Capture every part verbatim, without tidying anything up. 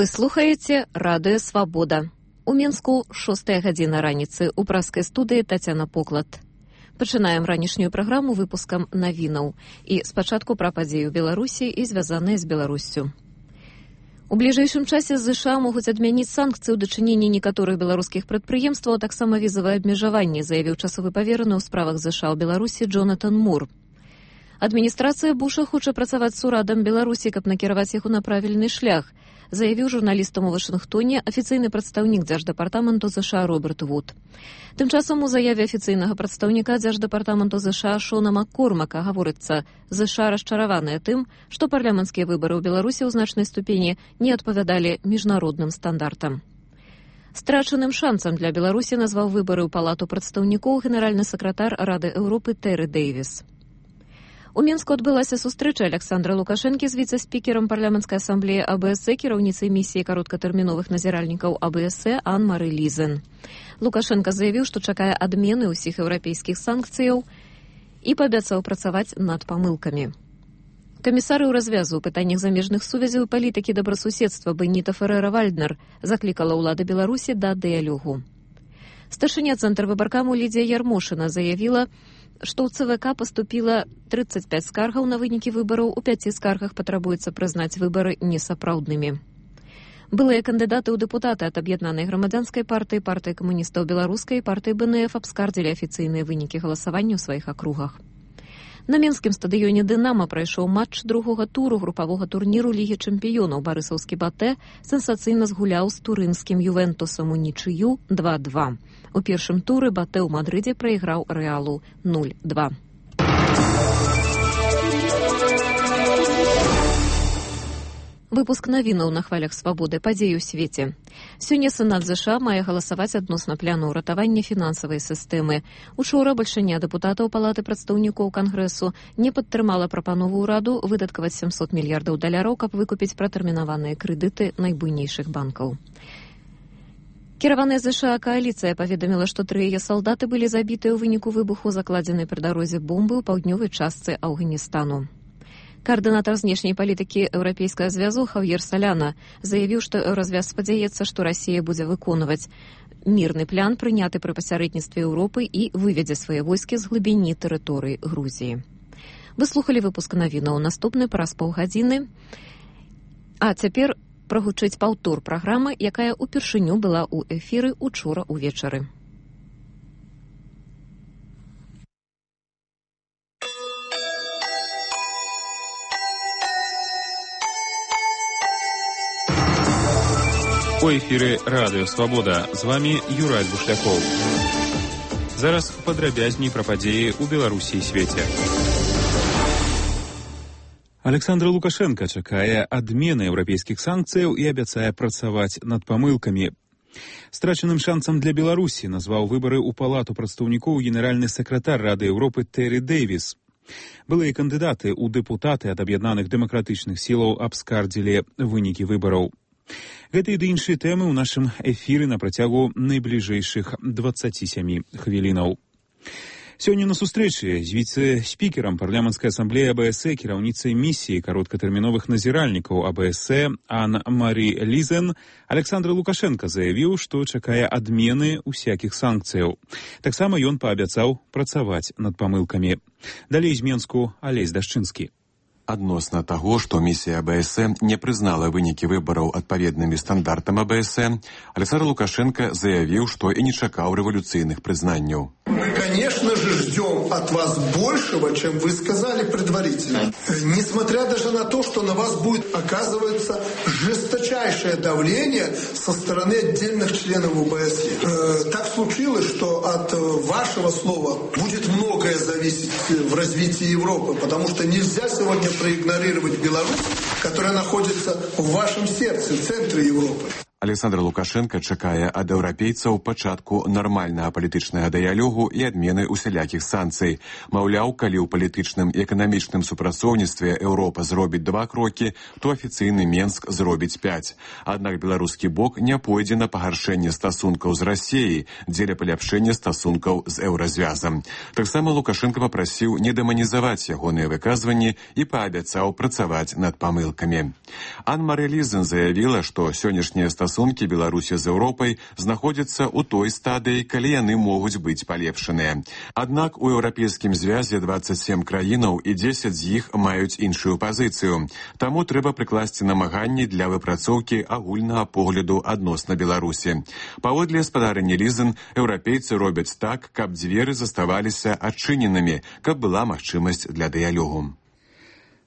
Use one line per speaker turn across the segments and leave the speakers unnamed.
Вы слухаеце радыё «Свабода». У Мінску шостая гадзіна раніцы. У праскай студыі Тацяна Поклад. Пачынаем ранішнюю праграму выпускам навінаў. І спачатку пра падзеі ў Беларусі і звязаныя з Беларуссю. У бліжэйшым часе ЗША могуць адмяніць санкцыі ў дачыненні некаторых беларускіх прадпрыемстваў, а таксама візавыя абмежаванні, заявіў часовы павераны ў справах ЗША ў Беларусі Джонатан Мур. Адміністрацыя Буша хоча працаваць з урадам Беларусі, каб накіраваць яго на правільны шлях, заявіў журналістам у Вашынгтоне афіцыйны прадстаўнік дзярждэпартаменту ЗША Роберт Вуд. Тым часам у заяве афіцыйнага прадстаўніка дзярждэпартаменту ЗША Шона Маккормака гаворыцца, ЗША расчараваныя тым, што парламенцкія выбары ў Беларусі ў значнай ступені не адпавядалі міжнародным стандартам. Страчаным шансам для Беларусі назваў выбары ў палату прадстаўнікоў генеральны сакратар Рады Еўропы Тэры Дэйвіс. У Мінску адбылася сустрэча Александра Лукашэнкі з віцэ-спікерам парламенцкай асамблеі АБС, кіраўніцай місіі кароткатэрміновых назіральнікаў АБС Ан-Мары Лізен. Лукашенка заявіў, што чакае адмены ўсіх еўрапейскіх санкцыяў і паабяцаў працаваць над памылкамі. Камісары ў развязу ў пытаннях замежных сувязяў і палітыкі добрасуседства Беніта Ферэра-Вальднер заклікала ўлады Беларусі да дыялогу. Старшыня цэнтр выбаркаму Лідзія Ярмошына заявіла, што ў ЦВК паступіла трыццаць пяць скаргаў на вынікі выбараў, у пяці скаргах патрабуецца прызнаць выбары несапраўднымі. Былыя кандыдаты ў дэпутаты ад аб'яднанай грамадзянскай партыі, партыі камуністаў беларускай і партыі БНФ абскардзілі афіцыйныя вынікі галасавання ў сваіх акругах. На мінскім стадыёне «Дынама» прайшоў матч другога туру групавога турніру Лігі чэмпіёнаў. Барысаўскі «Батэ» сенсацыйна згуляў з турынскім «Ювентусам» у нічыю два два. У першым туры «Батэ» ў Мадрыдзе прайграў «Рэалу» нуль два. Выпуск навінаў на хвалях свабоды, падзеі ў свеце. Сёння Сенат ЗША мае галасаваць адносна пляну ўратавання фінансавай сістэмы. Учора бальшыня дэпутатаў палаты прадстаўнікоў Кангрэсу не падтрымала прапанову ўраду выдаткаваць сямсот мільярдаў даляраў, каб выкупіць пратэрмінаваныя крэдыты найбуйнейшых банкаў. Кіраваная ЗША кааліцыя паведаміла, што тры яе салдаты былі забітыя ў выніку выбуху закладзенай пры дарозе бомбы ў паўднёвай частцы Афганістану. Каардынатар знешняй палітыкі Еўрапейскага звязу Хав'ер Саляна заявіў, што Еўразвяз спадзяецца, што Расія будзе выконваць мірны план, прыняты пры пасярэдніцтве Еўропы і выведзе свае войскі з глыбіні тэрыторыі Грузіі. Вы слухалі выпуск навінаў. Наступны праз паўгадзіны. А цяпер прагучыць паўтор праграмы, якая ўпершыню была ў эфіры учора ўвечары.
У эфіры радыё «Свабода». З вамі Юрай Бушлякоў. Зараз падрабязней пра падзеі ў Беларусі і свеце. Александр Лукашенка чакае адмены еўрапейскіх санкцыяў і абяцае працаваць над памылкамі. Страчаным шансам для Беларусі назваў выбары ў палату прадстаўнікоў генеральны сакратар Рады Еўропы Тэры Дэйвіс. Былыя кандыдаты ў дэпутаты ад аб'яднаных дэмакратычных сілаў абскардзілі вынікі выбараў. Гэта і ды іншыя тэмы ў нашым эфіры на працягу найбліжэйшых дваццаці сямі хвілінаў. Сёння на сустрэчы з віцэ-спікерам парламенцкай асамблеі АБС, кіраўніцай місіі кароткатэрміновых назіральнікаў АБС Ан-Мары Лізен, Александр Лукашенка заявіў, што чакае адмены усякіх санкцыяў. Таксама ён паабяцаў працаваць над памылкамі. Далей з Мінску Алесь Дашчынскі.
Адносна таго, што місія АБС не прызнала вынікі выбараў адпаведнымі стандартам АБС, Александр Лукашенко заявіў, што і не чакаў рэволюцыйных прызнанняў.
Мы, конечно же, ждем от вас большего, чем вы сказали предварительно. Несмотря даже на то, что на вас будет оказываться жесточайшее давление со стороны отдельных членов ОБСЕ. Э, так случилось, что от вашего слова будет многое зависеть в развитии Европы, потому что нельзя сегодня проигнорировать Беларусь, которая находится в вашем сердце, в центре Европы.
Александр Лукашенко чакае ад еўрапейцаў пачатку нармальнага палітычнага дыялогу і адмены усялякіх санкцый. Маўляў, калі ў палітычным і эканамічным супрацоўніцтве Еўропа зробіць два крокі, то афіцыйны Менск зробіць пяць. Аднак беларускі бок не пойдзе на пагаршэнне стасункаў з Расіяй дзеля паляпшэння стасункаў з еўразвязам. Таксама Лукашенко папрасіў не дэманізаваць ягоныя выказванні і паабяцаў працаваць над памылкамі. Ан-Марі Лізен заявіла, што сённяшнія стасункі Беларусі з Еўропай знаходзяцца ў той стадыі, калі яны могуць быць палепшаныя. Аднак у еўрапейскім звязе дваццаць сем краінаў і дзесяць з іх маюць іншую пазіцыю. Таму трэба прыкласці намаганні для выпрацоўкі агульнага погляду адносна Беларусі. Паводле спадарні Лізен, еўрапейцы робяць так, каб дзверы заставаліся адчыненымі, каб была магчымасць для дыялогу.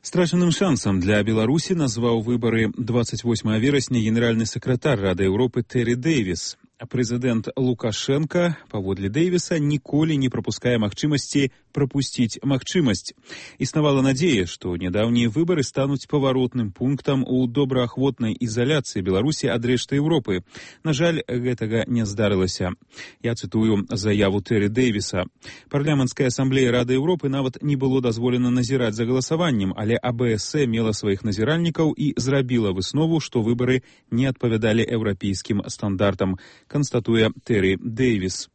Страчаным шансам для Беларусі назваў выбары дваццаць восьмага верасня генеральны сакратар Рады Еўропы Тэры Дэвіс. А прэзідэнт Лукашенка, паводле Дэвіса, ніколі не прапускае магчымасці прапусціць магчымасць. Існавала надзея, што нядаўнія выбары стануць паваротным пунктам у добраахвотнай ізаляцыі Беларусі ад рэшты Еўропы. На жаль, гэтага не здарылася. Я цытую заяву Тэры Дэвіса. Парламенцкая асамблея Рады Еўропы нават не было дазволена назіраць за галасаваннем, але А Бэ Эс Э мела сваіх назіральнікаў і зрабіла выснову, што выбары не адпавядалі еўрапейскім стандартам, канстатуе Тэры Дэвіс.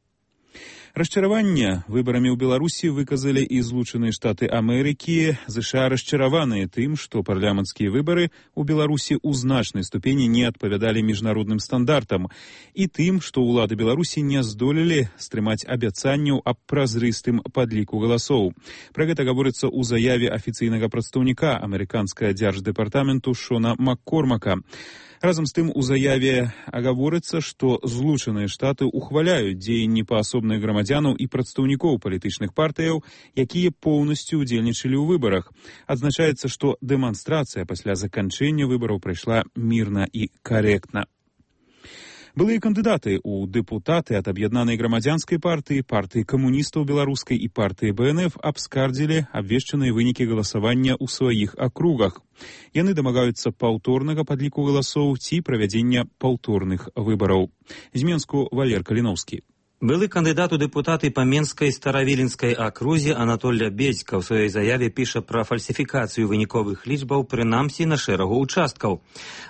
Расчараванне выбарамі ў Беларусі выказалі і Злучаныя Штаты Амерыкі. ЗША расчараваныя тым, што парламенцкія выбары ў Беларусі ў значнай ступені не адпавядалі міжнародным стандартам, і тым, што ўлады Беларусі не здолелі стрымаць абяцанняў аб празрыстым падліку галасоў. Пра гэта гаворыцца ў заяве афіцыйнага прадстаўніка амерыканскага дзярждэпартаменту Шона Маккормака. Разам з тым у заяве гаворыцца, што Злучаныя Штаты ухваляюць дзеянні паасобных грамадзянаў і прадстаўнікоў палітычных партыяў, якія поўнасцю удзельнічалі ў выбарах. Адзначаецца, што дэманстрацыя пасля заканчэння выбараў прайшла мірна і карэктна. Былыя кандыдаты ў дэпутаты ад аб'яднанай грамадзянскай партыі, партыі камуністаў беларускай і партыі Бэ Эн Эф абскардзілі абвешчаныя вынікі галасавання ў сваіх акругах. Яны дамагаюцца паўторнага падліку галасоў ці правядзення паўторных выбараў. З Менску Валер Каліноўскі.
Былы кандыдат у дэпутаты па Менскай Старавіленскай акрузе Анатоль Лябедзька ў сваёй заяве піша пра фальсіфікацыю выніковых лічбаў, прынамсі на шэрагу ўчасткаў.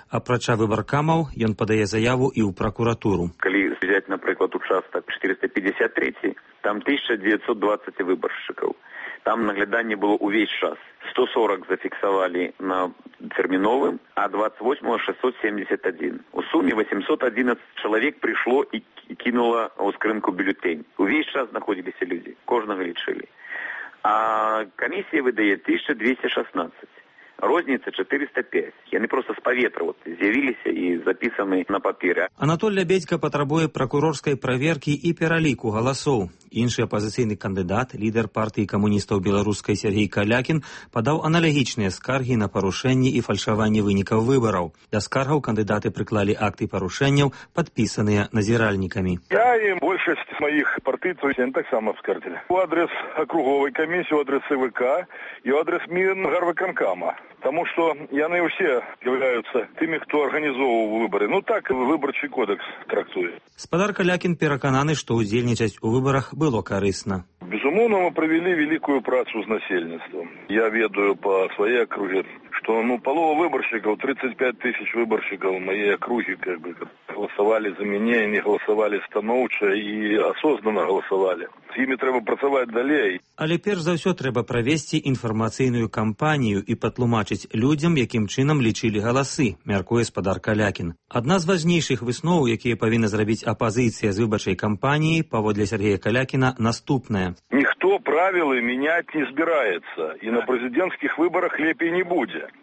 Апрача выбаркамаў, ён падае заяву і ў пракуратуру.
Калі взять, напрыклад, участак четыреста пятьдесят три, там тысяча девятьсот двадцать выбаршчыкаў. Там нагляданне было ўвесь час. сто сорок зафіксавалі на тэрміновым, а двадцать восьмого шестьсот семьдесят один. У суме восемьсот одиннадцать чалавек прыйшло і кинула ў скрынку бюллетень. Увесь час знаходзіліся людзі, кожнага лічылі. А камісія выдае тысяча двести шестнадцать. Розніца четыреста пять. Яны просто з паветра вот, з'явіліся і запісаны на папере.
Анатоль Лябедзька патрабуе пракурорскай праверкі і пераліку галасоў. Іншы апазіцыйны кандыдат, лідар партыі камуністаў беларускай Сергей Калякін, падаў аналагічныя скаргі на парушэнні і фальшаванне вынікаў выбараў. Да скаргаў кандыдаты прыклалі акты парушэнняў, падпісаныя назіральнікамі.
Я і большасць маіх партыйцаў таксама скардзілі. У адрес акруговай камісіі, у адрес Цэ Вэ Ка і у адрес Мінгарвыканкама. Таму што яны ўсе з'яўляюцца тымі, хто арганізоўваў выбары. Ну так выбарчы кодекс трактуе.
Спадар Калякін перакананы, што ўдзельнічаць у выбарах было карысна.
Безумоўна, мы правялі вялікую працу з насельніцтвам. Я ведаю па сваёй акрузе, што ну палова выбаршчыкаў, тридцать пять тысяч выбаршчыкаў мае акругі как бы галасавалі за мяне, не галасавалі станоўча і асознанна галасавалі. З імі трэба працаваць далей.
Але перш за ўсё трэба правесці інфармацыйную кампанію і патлумачыць людзям, якім чынам лічылі галасы, мяркуе спадар Калякін. Адна з важнейшых высноў, якія павінна зрабіць апазіцыя з выбарчай кампаніяй, паводле Сергея Калякіна, наступная.
Ніхто правілы мяняць не збіраецца, і на прэзідэнцкіх выбарах лепей не будзе.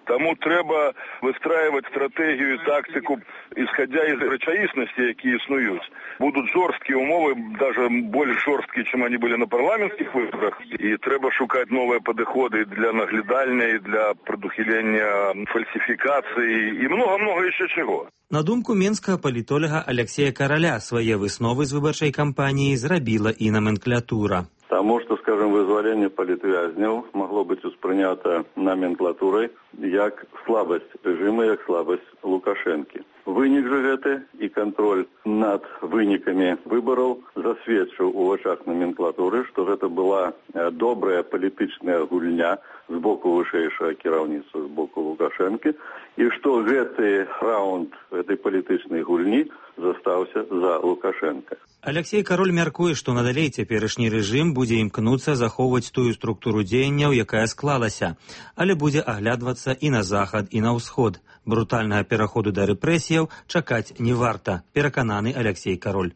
Таму трэба выстраивать стратегію і тактику, исходя из рэчаіснасці, якія існуюць. Будут жорсткія умовы, даже больш жорсткія, чым они были на парламенцкіх выборах. І трэба шукаць новыя падыходы для наглядальня, для прадухілення фальсіфікацыі і много-много яшчэ чаго.
На думку менскага палітолага Алексея Караля, свае высновы з выбарчай кампаніі зрабіла і номенклатура.
Таму што, скажем, вызваленне палітвязняў магло быць успрынята номенклатурай як слабасць рэжыма, як слабасць Лукашэнкі. Вынік жа гэты і кантроль над вынікамі выбараў засведчыў у вачах номенклатуры, што гэта была добрая палітычная гульня з боку вышэйшага кіраўніцтва, з боку Лукашэнкі, і што гэты раунд гэтай палітычнай гульні застаўся за Лукашэнка.
Алексей Кароль мяркуе, што надалей цяперашні рэжым будзе імкнуцца захоўваць тую структуру дзеянняў, якая склалася, але будзе аглядвацца і на захад, і на ўсход. Брутальнага пераходу да рэпрэсіяў чакаць не варта, перакананы Алексей Кароль.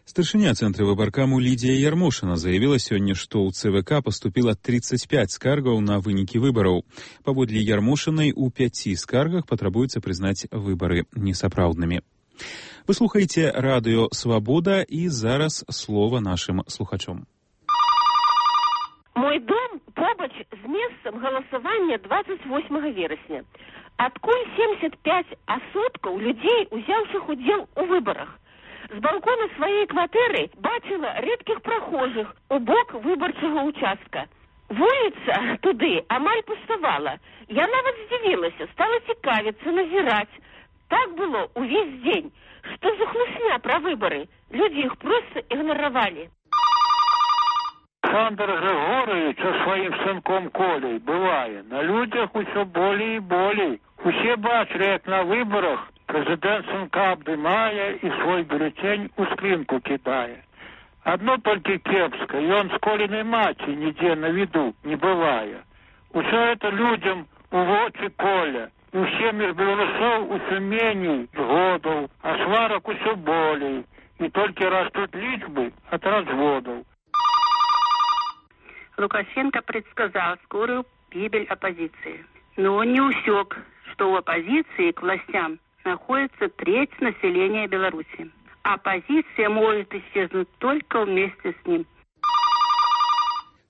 Старшыня цэнтра выбаркаму Лідія Ярмошына заявіла сёння, што ў ЦВК паступіла тридцать пять скаргаў на вынікі выбараў. Паводле Ярмошынай, у пяці скаргах патрабуецца прызнаць выбары несапраўднымі. Вы слухаеце радыё «Свабода» і зараз слова нашым слухачом.
Мой дом побач з месцам галасавання двадцать восьмага верасня. Адкуль семьдесят пять асобкаў людзей, узяўшых удзел у выбарах. З балкона сваёй кватэры бачыла рэдкіх прахожых у бок выбарчага участка. Вуліца туды амаль пуставала. Я нават здзівілася, стала цікавіцца, назіраць. Так было увесь дзень. Што за хлусня пра выбары? Людзі іх проста ігнаравалі.
Александр Григорович со своим сынком Колей бывае на людях усё болей і болей. Усе бачылі, як на выборах президент сынка абдымае і свой бюллетень у скринку кидае. Одно только кепска, и он с Колиной маці нигде на виду не бывае. Усё это людям у вочы Коля. І ўсе між беларусоў усё меней згодаў, а сварак усё болей. І толькі растут лічбы от разводов.
Лукашенко предсказал скорую гибель оппозиции. Но он не усек, что у оппозиции к властям находится треть населения Беларуси. Оппозиция может исчезнуть только вместе с ним.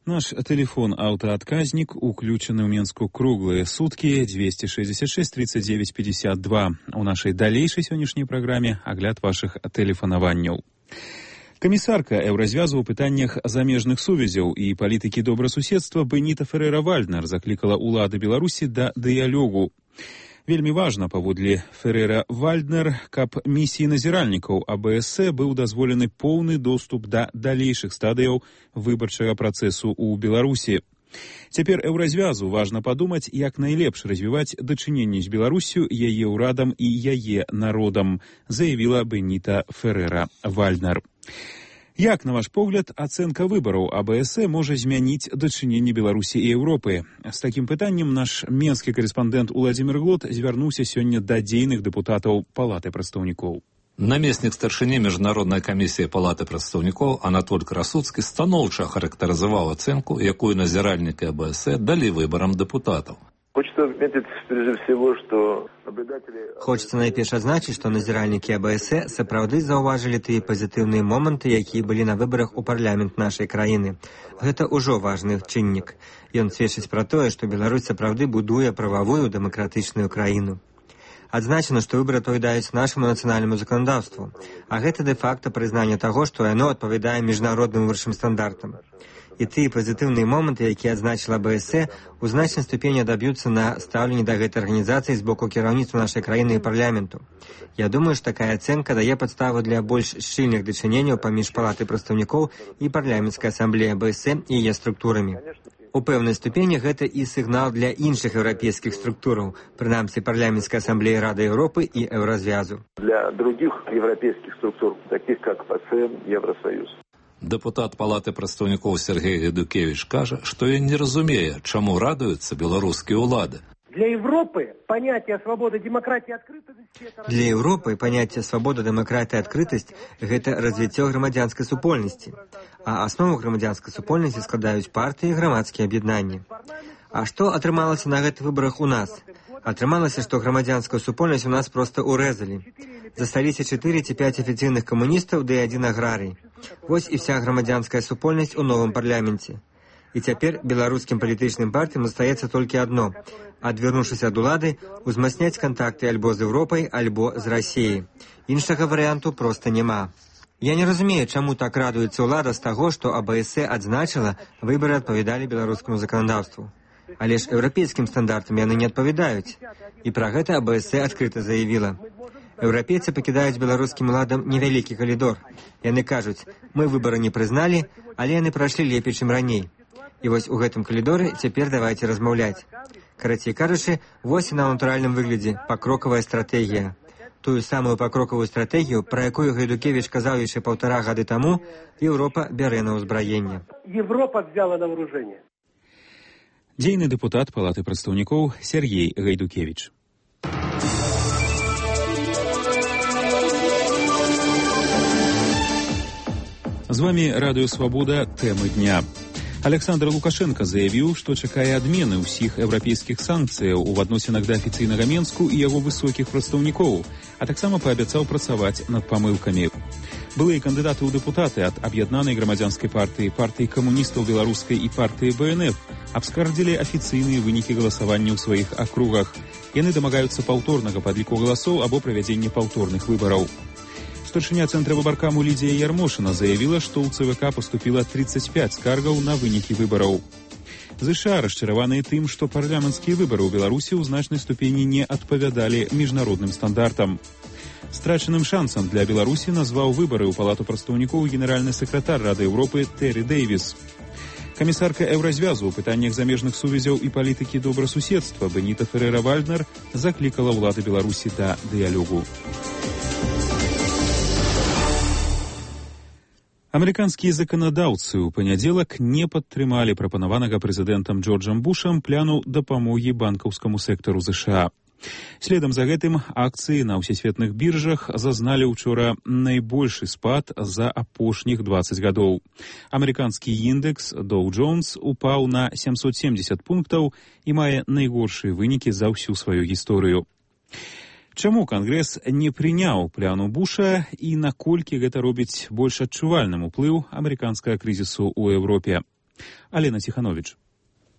Наш телефон-аўтаадказнік уключаны ў Менску круглыя суткі двести шестьдесят шесть тридцать девять пятьдесят два. У нашай далейшай сённяшняй праграме агляд вашых тэлефанаванняў. Камісарка Еўразвязу ў пытаннях замежных сувязяў і палітыкі добрасуседства Беніта Ферера-Вальднер заклікала ўлады Беларусі да дыялогу. Вельмі важна, паводле Ферера-Вальднер, каб місіі назіральнікаў АБС быў дазволены поўны доступ да далейшых стадыяў выбарчага працэсу ў Беларусі. Цяпер Еўразвязу важна падумаць, як найлепш развіваць дачыненні з Беларусю, яе ўрадам і яе народам, заявіла Беніта Ферера-Вальднер. Як, на ваш погляд, ацэнка выбараў АБС можа змяніць дачыненні Беларусі і Еўропы? З такім пытаннем наш менскі карэспандэнт Уладзімір Глот звярнуўся сёння да дзейных дэпутатаў Палаты прадстаўнікоў.
Намеснік старшыні Міжнароднай камісіі Палаты прадстаўнікоў Анатоль Красуцкі станоўча характарызаваў ацэнку, якую назіральнікі АБС далі выбарам дэпутатаў.
Хочется отметить, прежде всего, что наблюдатели...
Хочется найперш адзначыць, што назіральнікі АБС сапраўды заўважылі тыя пазітыўныя моманты, якія былі на выбарах у парламент нашай краіны. Гэта ўжо важны чыннік. Ён сведчыць пра тое, што Беларусь сапраўды будуе прававую дэмакратычную краіну. Адзначана, што выбары адпавядаюць нашаму нацыянальнаму заканадаўству, а гэта дэ-факта прызнанне таго, што яно адпавядае міжнародным высшым стандартам. І тыя пазітыўныя моманты, якія адзначыла АБС, у значнай ступені адаб'юцца на стаўленне да гэтай арганізацыі з боку кіраўніцтва нашай краіны і парламенту. Я думаю, што такая ацэнка дае падставу для больш шчыльных дачыненняў паміж Палатай прадстаўнікоў і парламенцкай асамблеі АБС і яе структурамі. У пэўнай ступені гэта і сігнал для іншых еўрапейскіх структураў, прынамсі парламенцкай асамблеі Рады Еўропы і Еўразвязу.
Для других европейских структур, таких как ПАСЕ, Евросоюз.
Дэпутат Палаты прадстаўнікоў Сергей Гедукевич кажа, што ён не разумее, чаму радуюцца беларускія ўлады.
Для Европы понятие свободы, демократии, открытости...
Для Европы понятие свобода, демократия, открытость – гэта развіццё грамадзянскай супольнасці. А аснову грамадзянскай супольнасці складаюць партыі і грамадскія аб'яднанні. А што атрымалася на гэтых выбарах у нас? Атрымалася, што грамадзянскую супольнасць у нас проста урэзалі. Засталіся чатыры ці пяць афіцыйных камуністаў ды адзін аграрый. Вось і вся грамадзянская супольнасць у новым парламенце. І цяпер беларускім палітычным партыям застаецца толькі адно – адвярнуўшыся ад улады, узмацняць кантакты альбо з Еўропай, альбо з Расіяй. Іншага варыянту проста няма. Я не разумею, чаму так радуецца ўлада з таго, што АБС адзначыла, выбары адпавядалі беларускаму заканадаўству. Але ж еўрапейскім стандартам яны не адпавядаюць. І пра гэта АБС адкрыта заявіла. Еўрапейцы пакідаюць беларускім уладам невялікі калідор. Яны кажуць, мы выбары не прызналі, але яны прайшлі лепей, чым раней. І вось у гэтым калідоры цяпер давайце размаўляць. Карацей кажучы, вось і на натуральным выглядзе пакрокавая стратэгія. Тую самую пакрокавую стратэгію, пра якую Гайдукевіч казаў яшчэ паўтара гады таму, Еўропа бярэ на ўзбраенне.
Европа взяла на вооружение.
Дзейны дэпутат Палаты прадстаўнікоў Сергей Гайдукевіч. З вами Радыё Свабода, тэмы дня. Александр Лукашенко заявіў, што чакае адмены ўсіх еўрапейскіх санкцыяў у адносінах да афіцыйнага Менску і яго высокіх прадстаўнікоў, а таксама паабяцаў працаваць над памылкамі. Былыя кандыдаты ў дэпутаты ад аб'яднанай грамадзянскай партыі, партыі камуністаў беларускай і партыі Бэ Эн Эф абскардзілі афіцыйныя вынікі галасавання ў сваіх акругах. Яны дамагаюцца паўторнага падліку галасоў або правядзення паўторных выбараў. Старшыня цэнтра выбаркаму Лідзія Ярмошына заявіла, што ў Цэ Вэ Ка паступіла тридцать пять скаргаў на вынікі выбараў. ЗША расчараваныя тым, што парламенцкія выбары ў Беларусі ў значнай ступені не адпавядалі міжнародным стандартам. Страчаным шансам для Беларусі назваў выбары ў Палату прадстаўнікоў генеральны сакратар Рады Еўропы Тэры Дэйвіс. Камісарка Еўразвязу ў пытаннях замежных сувязяў і палітыкі добрасуседства Беніта Ферэра-Вальднер заклікала ўлады Беларусі да дыялогу. Амерыканскія заканадаўцы ў панядзелак не падтрымалі прапанаванага прэзідэнтам Джорджам Бушам пляну дапамогі банкаўскаму сектару ЗША. Следам за гэтым акцыі на ўсесветных біржах зазналі учора найбольшы спад за апошніх двадцать гадоў. Амерыканскі індекс Dow Jones упаў на семьсот семьдесят пунктаў і мае найгоршыя вынікі за ўсю сваю гісторыю. Чаму Кангрэс не прыняў пляну Буша і наколькі гэта робіць больш адчувальным уплыў амерыканскага крызісу ў Еўропе? Алена Ціхановіч.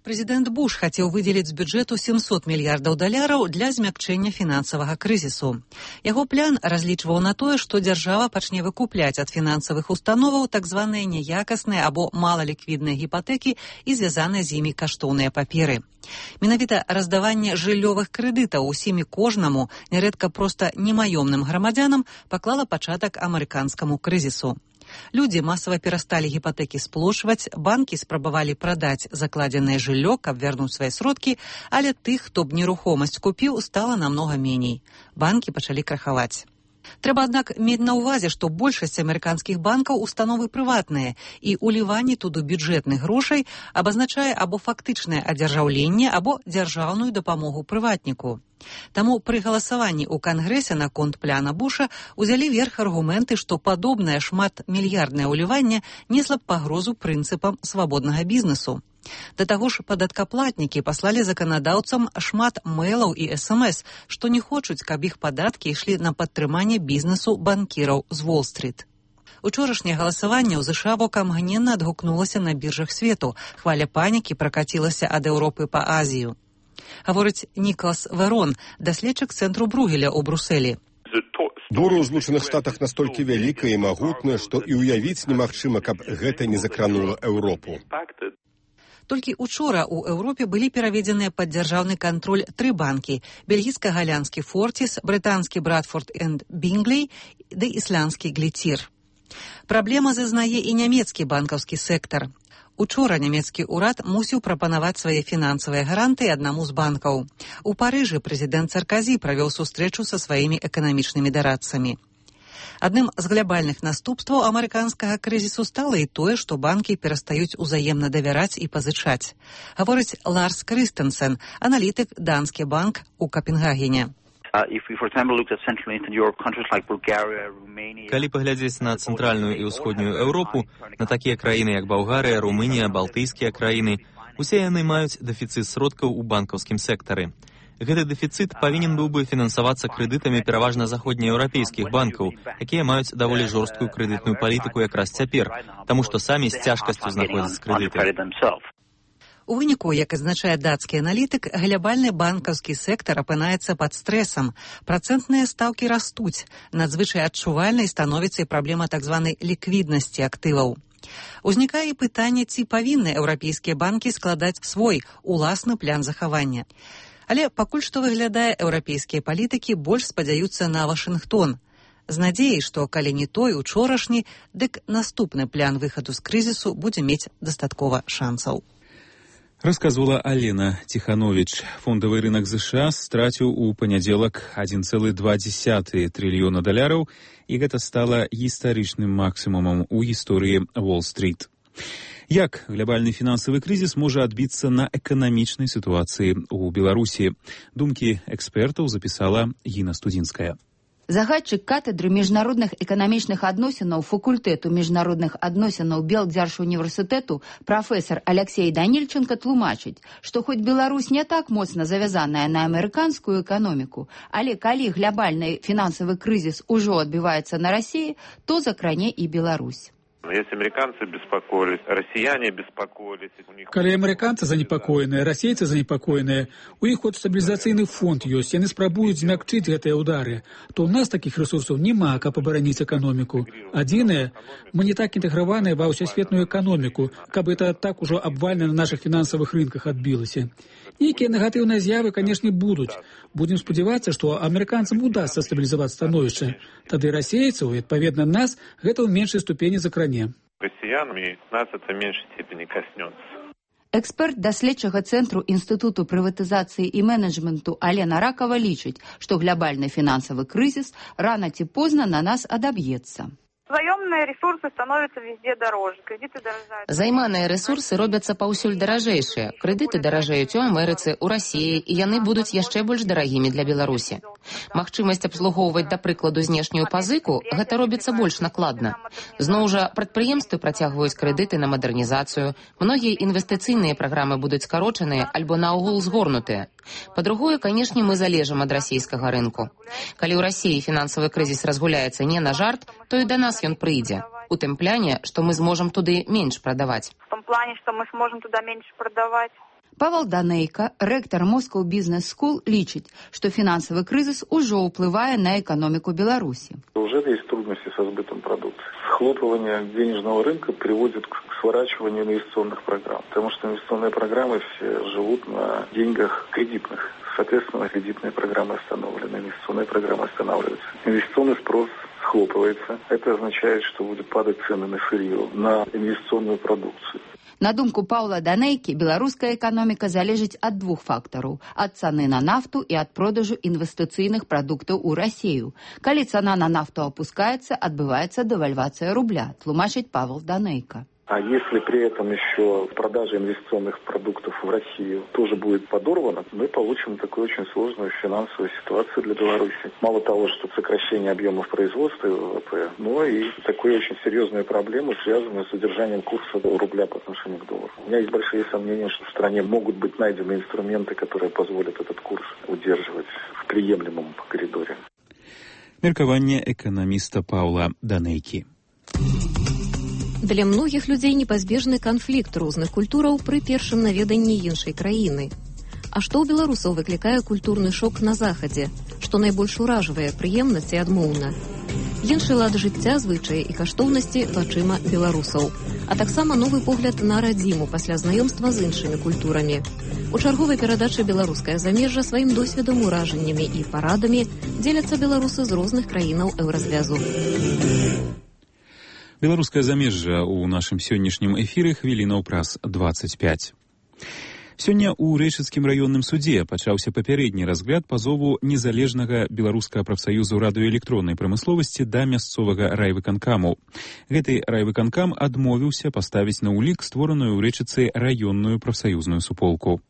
Прэзідэнт Буш хацеў выдзеліць з бюджэту семьсот мільярдаў даляраў для змякчэння фінансавага крызісу. Яго плян разлічваў на тое, што дзяржава пачне выкупляць ад фінансавых установаў так званыя няякасныя або малаліквідныя гіпатэкі і звязаныя з імі каштоўныя паперы. Менавіта раздаванне жыллёвых крэдытаў усім і кожнаму, нярэдка проста немаёмным грамадзянам, паклала пачатак амерыканскаму крызісу. Людзі масава перасталі гіпатэкі сплошваць, банкі спрабавалі прадаць закладзенае жыллё, каб вярнуць свае сродкі, але тых, хто б нерухомасць купіў, стала намнога меней. Банкі пачалі крахаваць. Трэба, аднак, мець на ўвазе, што большасць амерыканскіх банкаў установы прыватныя, і ўліванне туды бюджэтных грошай абазначае або фактычнае адзяржаўленне, або дзяржаўную дапамогу прыватніку. Таму пры галасаванні ў Кангрэсе наконт пляна Буша узялі верх аргументы, што падобнае шматмільярднае ўліванне несла б пагрозу прынцыпам свабоднага бізнесу. Да таго ж падаткаплатнікі паслалі заканадаўцам шмат мэйлаў і эс эм эс, што не хочуць, каб іх падаткі ішлі на падтрыманне бізнесу банкіраў з Уолл-стріт. Учорашняе галасаванне ў ЗША вокамгненна адгукнулася на біржах свету. Хваля панікі пракацілася ад Еўропы па Азію. Гаворыць Нікалас Верон, даследчык цэнтру Бругеля ў Брусэлі.
Бура ў Злучаных Штатах настолькі вялікая і магутная, што і ўявіць немагчыма, каб гэта не закранула Еўропу.
Толькі учора ў Еўропе былі пераведзеныя пад дзяржаўны кантроль тры банкі: бельгійска-галянскі Фортіс, брытанскі Брадфорд энд Бінглей ды ісландскі Гліцір. Праблема зазнае і нямецкі банкаўскі сектар. Учора нямецкі ўрад мусіў прапанаваць свае фінансавыя гарантыі аднаму з банкаў. У Парыжы прэзідэнт Сарказі правёў сустрэчу са сваімі эканамічнымі дарадцамі. Адным з глябальных наступстваў амерыканскага крызісу стала і тое, што банкі перастаюць узаемна давяраць і пазычаць. Гаворыць Ларс Крыстенсен, аналітык Данскі банк у Капенгагене.
Калі паглядзець на цэнтральную і ўсходнюю Еўропу, на такія краіны, як Балгарыя, Румынія, балтыйскія краіны, усе яны маюць дэфіцыт сродкаў у банкаўскім сектары. Гэты дэфіцыт павінен быў бы фінансавацца крэдытамі пераважна заходнееўрапейскіх банкаў, якія маюць даволі жорсткую крэдытную палітыку якраз цяпер, таму што самі з цяжкасцю знаходзяць крэдыты.
У выніку, як адзначае дацкі аналітык, глябальны банкаўскі сектар апынаецца пад стрэсам. Працэнтныя стаўкі растуць. Надзвычай адчувальнай становіцца і праблема так званай ліквіднасці актываў. Узнікае пытанне, ці павінны еўрапейскія банкі складаць свой уласны план захавання. Але пакуль што выглядае, еўрапейскія палітыкі больш спадзяюцца на Вашынгтон. З надзеяй, што калі не той учорашні, дык наступны план выхаду з крызісу будзе мець дастаткова шансаў.
Рассказывала Алена Тиханович. Фондовый рынок США стратил у понедельник один целых два десятых триллиона долларов, и это стало историчным максимумом у истории Уолл-стрит. Як глобальный финансовый кризис может отбиться на экономичной ситуации у Беларуси? Думки экспертов записала Гина Студинская.
Загадчык катедры міжнародных эканамічных адносінаў факультэту міжнародных адносінаў Белдзяржуніверсітэту прафесор Алексей Данильченко тлумачыць, што хоць Беларусь не так моцна завязаная на амерыканскую эканоміку, але калі глобальны фінансавы крызіс ужо адбіваецца на Расіі, то закране і Беларусь.
Если американцы беспокоились, россияне беспокоились.
Калі американцы занепакоеныя, расейцы занепакоеныя, у іх хоць стабілізацыйны фонд ёсць, яны спрабуюць змякчыць гэтыя ўдары, то ў нас такіх рэсурсаў няма, каб абараніць эканоміку. Адзінае, мы не так інтэграваныя ва ўсесветную эканоміку, каб это так ужо абвальна на нашых фінансавых рынках адбілася. Нейкія негатыўныя з'явы, канешне, будуць. Будзем спадзявацца, што амерыканцам удасца стабілізаваць становішча. Тады расейцаў, і, адпаведна, нас гэта ў меншай ступені закране.
Россиянами нас это в меньшей степени коснется.
Эксперт даследчага цэнтру Інстытуту прыватызацыі і менеджменту Алена Ракава лічыць, што глобальны фінансавы крызіс рана ці позна на нас адаб'ецца.
Заёмныя ресурсы становятся везде дороже, кредиты дорожают.
Займаныя ресурсы робяцца паўсюль даражэйшыя. Крэдыты даражэюць у Амерыцы, у Расіі, і яны будуць яшчэ больш дарагімі для Беларусі. Магчымасць абслугоўваць, да прыкладу, знешнюю пазыку, гэта робіцца больш накладна. Зноў жа, прадпрыемствы працягваюць крэдыты на мадэрнізацыю, многія інвестыцыйныя праграмы будуць скарочаныя альбо наогул згорнутыя. Па-другое, канешне, мы залежым ад расійскага рынку. Калі ў Расіі фінансавы крызіс разгуляецца не на жарт, то і да нас ён прыйдзе. У тым пляне, што мы зможам туды менш прадаваць.
В том плане, что мы сможем туда меньше продавать.
Павел Данейка, ректор Moscow Business School, лічыць, што фінансавы крызіс ужо ўплывае на эканоміку Беларусі.
Уже есть трудности со сбытом продукции. Схлопывание денежного рынка приводит к сворачиванию инвестиционных программ, потому что инвестиционные программы все живут на деньгах кредитных. Соответственно, кредитные программы остановлены, инвестиционные программы останавливаются. Инвестиционный спрос схлопывается. Это означает, что будут падать цены на сырье, на инвестиционную продукцию.
На думку Паўла Данейкі, беларуская эканоміка залежыць ад двух фактараў – ад цаны на нафту і ад продажу інвестыцыйных прадуктаў у Расію. Калі цана на нафту опускаецца, адбываецца дэвальвацыя рубля, тлумачыць Павел Данейка.
А если при этом еще продажа инвестиционных продуктов в Россию тоже будет подорвана, мы получим такую очень сложную финансовую ситуацию для Беларуси. Мало того, что сокращение объемов производства ВВП, но и такую очень серьезную проблему, связанную с удержанием курса рубля по отношению к доллару. У меня есть большие сомнения, что в стране могут быть найдены инструменты, которые позволят этот курс удерживать в приемлемом коридоре.
Меркаванне эканаміста Паўла Данейкі.
Для многіх людзей непазбежны канфлікт розных культураў пры першым наведанні іншай краіны. А што ў беларусаў выклікае культурны шок на захадзе, што найбольш уражвае прыемнасць і адмоўна? Іншы лад жыцця, звычаі і каштоўнасці вачыма беларусаў, а таксама новы погляд на радзіму пасля знаёмства з іншымі культурамі. У чарговай перадачы «Беларускае замежжа» сваім досведам, уражаннямі і парадамі дзеляцца беларусы з розных краінаў еўразвязу.
Беларускае замежжа ў нашым сённяшнім эфіры хвілінаў праз дваццаць пяць. Сёння ў Рэчыцкім раённым судзе пачаўся папярэдні разгляд пазову незалежнага беларускага прафсаюзу радыёэлектроннай прамысловасці да мясцовага райвыканкаму. Гэты райвыканкам адмовіўся паставіць на ўлік створаную ў Рэчыцы раённую прафсаюзную суполку.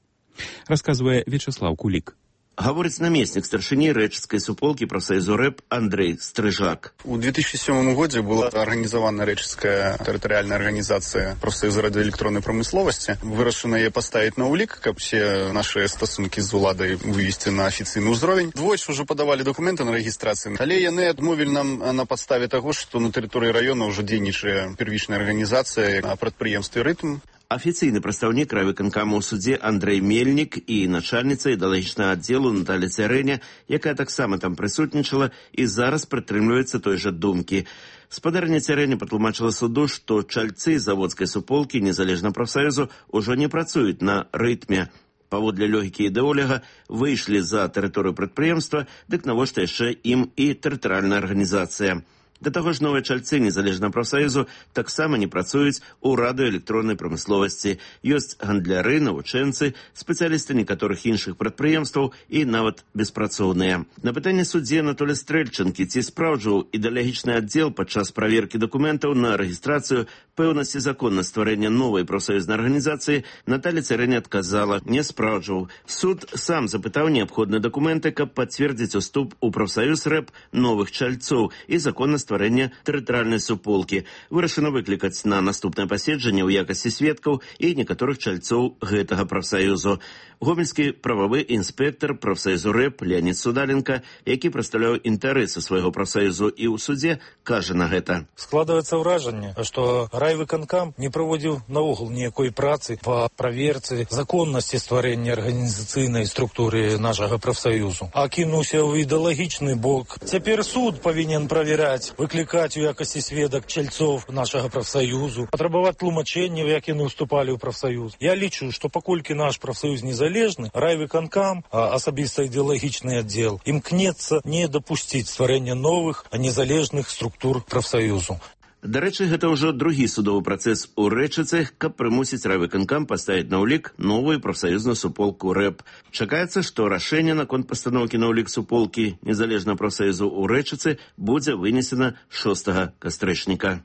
Расказвае Вячеслав Кулік.
Гаворыць намеснік старшыні рэчыцкай суполкі прафсаюзу рэп Андрей Стрыжак.
У две тысячи седьмом году была организована Рэчыцкая территориальная организация прафсаюза радиоэлектронной промысловости. Вырашана яе поставить на улик, как все наши стосунки з уладай вывести на офіцыйны ўзровень. Двойчы уже подавали документы на регистрацию. Але яны адмовілі нам на подставе того, что на территории района уже дзейнічае первичная организация на прадпрыемстве «Рытм».
Афіцыйны прадстаўнік райвыканкаму ў судзе Андрей Мельнік і начальніца ідэалагічнага аддзелу Наталя Цярэня, якая таксама там прысутнічала і зараз прытрымліваецца той жа думкі. Спадарня Цярэня патлумачыла суду, што чальцы заводскай суполкі незалежна прафсаюзу ўжо не працуюць на рытме. Па паводле логікі ідэоляга выйшлі за тэрыторыю прадпрыемства, дык навошта яшчэ ім і тэрытарыяльная арганізацыя. Да таго ж новыя чальцы незалежнага прафсаюзу таксама не працуюць у радыёэлектроннай прамысловасці. Ёсць гандляры, навучэнцы, спецыялісты некаторых іншых прадпрыемстваў і нават беспрацоўныя. На пытанне суддзі Анатолія Стрэльчанкі, ці спраўджваў ідэалагічны аддзел падчас праверкі дакументаў на рэгістрацыю пэўнасці законнасць стварэння новай прафсаюзнай арганізацыі, Наталья Цярэня адказала: не спраўджваў. Суд сам запытаў неабходныя дакументы, каб пацвердзіць уступ у прафсаюз рэп новых чальцоў і законнасць стварэння тэрытарыяльнай суполкі. Вырашана выклікаць на наступнае паседжанне ў якасці сведкаў і некаторых чальцоў гэтага прафсаюзу. Гомельскі прававы інспектор прафсаюзу рэп Леонид Судаленко, які прадстаўляў інтарэсы свайго прафсаюзу і ў судзе, кажа на гэта:
складваецца ўражанне, што райвыканкам не праводзіў наогул ніякой працы па праверцы законнасці стварэння арганізацыйнай структуры нашага прафсаюзу, а кінуўся ў ідэалагічны бок. Цяпер суд павінен праверяць, выклікаць у якасці сведак чальцоў нашага прафсаюзу, патрабаваць тлумачэнняў, як яны ўступалі ў прафсаюз. Я лічу, што паколькі наш прафсаюз незалежны, райвыканкам, а асабіста ідэалагічны аддзел, імкнецца не дапусціць стварэння новых, а незалежных структур прафсаюзу.
Дарэчы, гэта ўжо другі судовы працэс у Рэчыцы, каб прымусіць райвыканкам паставіць на ўлік новую прафсаюзную суполку рэп. Чакаецца, што рашэнне наконт пастаноўкі на ўлік суполкі незалежнага прафсаюзу ў Рэчыцы будзе вынесена шостага кастрычніка.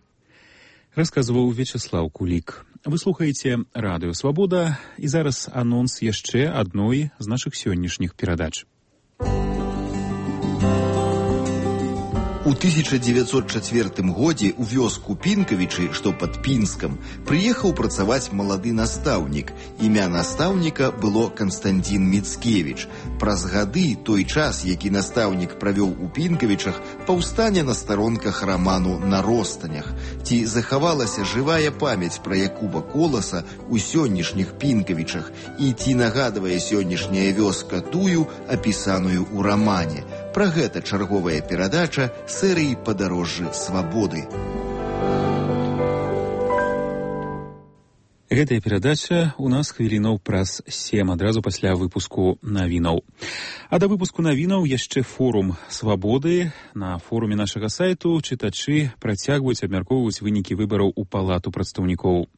Расказваў Вячеслаў Кулік. Вы слухаеце радыё «Свабода», і зараз анонс яшчэ адной з нашых сённяшніх перадач.
У тысяча дзевяцьсот чацвёртым годзе ў вёску Пінкавічы, што пад Пінскам, прыехаў працаваць малады настаўнік. Імя настаўніка было Канстантін Міцкевіч. Праз гады той час, які настаўнік правёў у Пінкавічах, паўстане на старонках раману «На ростанях». Ці захавалася жывая памяць пра Якуба Коласа ў сённяшніх Пінкавічах, і ці нагадвае сённяшняя вёска тую, апісаную ў рамане. Пра гэта чарговая перадача серыі «Падарожжы свабоды».
Гэтая перадача у нас хвілінаў праз сем, адразу пасля выпуску навінаў. А да выпуску навінаў яшчэ форум «Свабоды». На форуме нашага сайту чытачы працягваюць абмяркоўваць вынікі выбараў у палату прадстаўнікоў.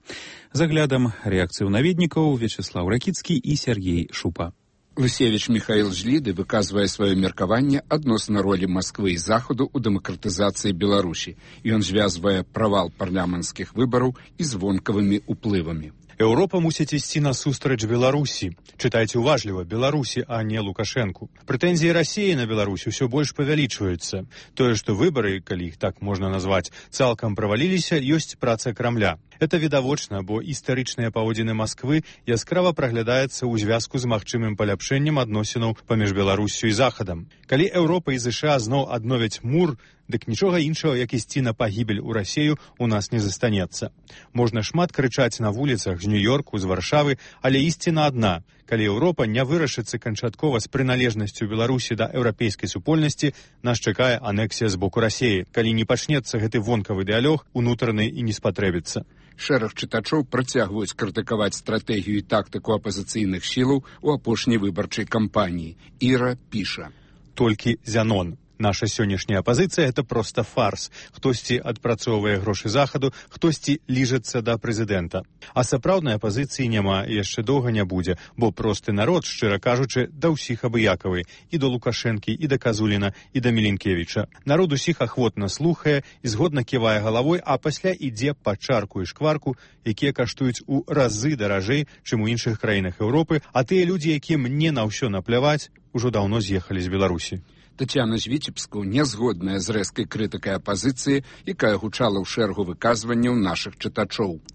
З аглядам рэакцыю наведнікаў Вячеслаў Ракіцкі і Сергей Шупа.
Лысевіч Михаил Жліды выказвае сваё меркаванне адносна ролі Масквы і Захаду ў дэмакратызацыі Беларусі. Ён звязвае правал парламенцкіх выбараў і звонкавымі ўплывамі.
Еўропа мусіць ісці насустрач Беларусі. Чытайце уважліва, Беларусі, а не Лукашэнку. Прэтэнзіі Расіі на Беларусь усё больш павялічваюцца. Тое, што выбары, калі іх так можна назваць, цалкам праваліліся, ёсць праца Крамля. Это відавочна, бо істарычныя паводзіны Масквы яскрава праглядаецца ў звязку з магчымым паляпшэннем адносінаў паміж Беларуссю і Захадам. Калі Еўропа і ЗША зноў адновяць мур, дык нічога іншага, як ісці на пагібель у Расею, у нас не застанецца. Можна шмат крычаць на вуліцах з Нью-Йорку, з Варшавы, але ісціна адна. Калі Еўропа не вырашыцца канчаткова з прыналежнасцю Беларусі да еўрапейскай супольнасці, нас чакае анексія з боку Расеі. Калі не пачнецца гэты вонкавы дыялог, унутраны і не спатрэбіцца.
Шэраг чытачоў працягваюць крытыкаваць стратэгію і тактыку апазіцыйных сілаў у апошняй выбарчай кампаніі. Іра піша:
толькі Зянон. Наша сённяшняя апазіцыя – это проста фарс. Хтосьці адпрацоўвае грошы Захаду, хтосьці ліжацца да прэзідэнта. А сапраўднай апазіцыі няма і яшчэ доўга не будзе, бо просты народ, шчыра кажучы, да ўсіх абыякавы. І да Лукашэнкі, і да Казуліна, і да Міленкевіча. Народ усіх ахвотна слухае і згодна ківае галавой, а пасля ідзе па чарку і шкварку, якія каштуюць у разы даражэй, чым у іншых краінах Еўропы, а тыя людзі, якім не на ўсё напляваць, ужо даўно з'ехалі з Беларусі.
Тацяна з Віцебску не згодная з рэзкай крытыкай апазіцыі, якая гучала ў шэрагу выказванняў нашых чытачоў.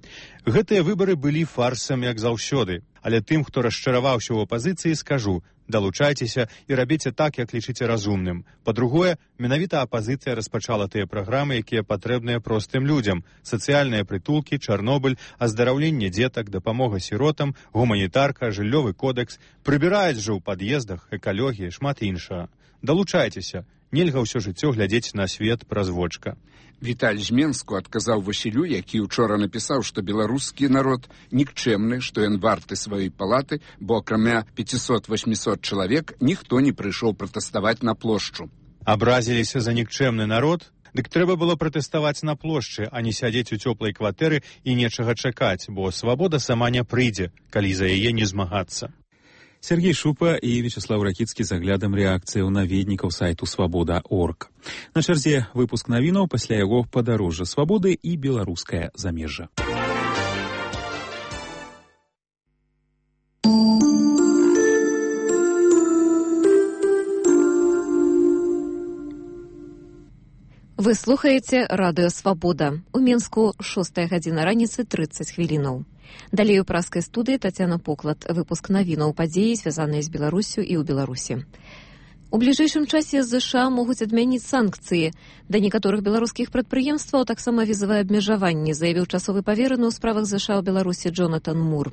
Гэтыя выбары былі фарсам, як заўсёды. Але тым, хто расчараваўся ў апазіцыі, скажу: далучайцеся і рабіце так, як лічыце разумным. Па-другое, менавіта апазіцыя распачала тыя праграмы, якія патрэбныя простым людзям: сацыяльныя прытулкі, Чарнобыль, аздараўленне дзетак, дапамога сіротам, гуманітарка, жыллёвы кодэкс. Прыбіраюць жа ў пад'ездах, экалогія, шмат іншага. Далучайцеся. Нельга ўсё жыццё глядзець на свет праз вочка.
Віталь з Менску адказаў Васілю, які учора напісаў, што беларускі народ нікчэмны, што ён варты сваёй палаты, бо акрамя пяцісот-восьмісот чалавек ніхто не прыйшоў пратэставаць на плошчу.
Абразіліся за нікчэмны народ? Дык трэба было пратэставаць на плошчы, а не сядзець у цёплай кватэры і нечага чакаць, бо свабода сама не прыйдзе, калі за яе не змагацца.
Сергей Шупа і Вячеслав Ракіцкі з аглядам рэакцыі ў наведнікаў сайту свабода точка орг. На чарзе выпуск навінаў, пасля яго падарожжа свабоды і беларускае замежжа.
Вы слухаеце радыё «Свабода». У Менску шостая гадзіна раніцы трыццаць хвілінаў. Далей у праскай студыі Тацяна Поклад. Выпуск навінаў падзеі, звязаныя з Беларуссю і ў Беларусі. У бліжэйшым часе з ЗША могуць адмяніць санкцыі. Да некаторых беларускіх прадпрыемстваў таксама візавае абмежаванне, заявіў часовы павераны ў справах ЗША ў Беларусі Джонатан Мур.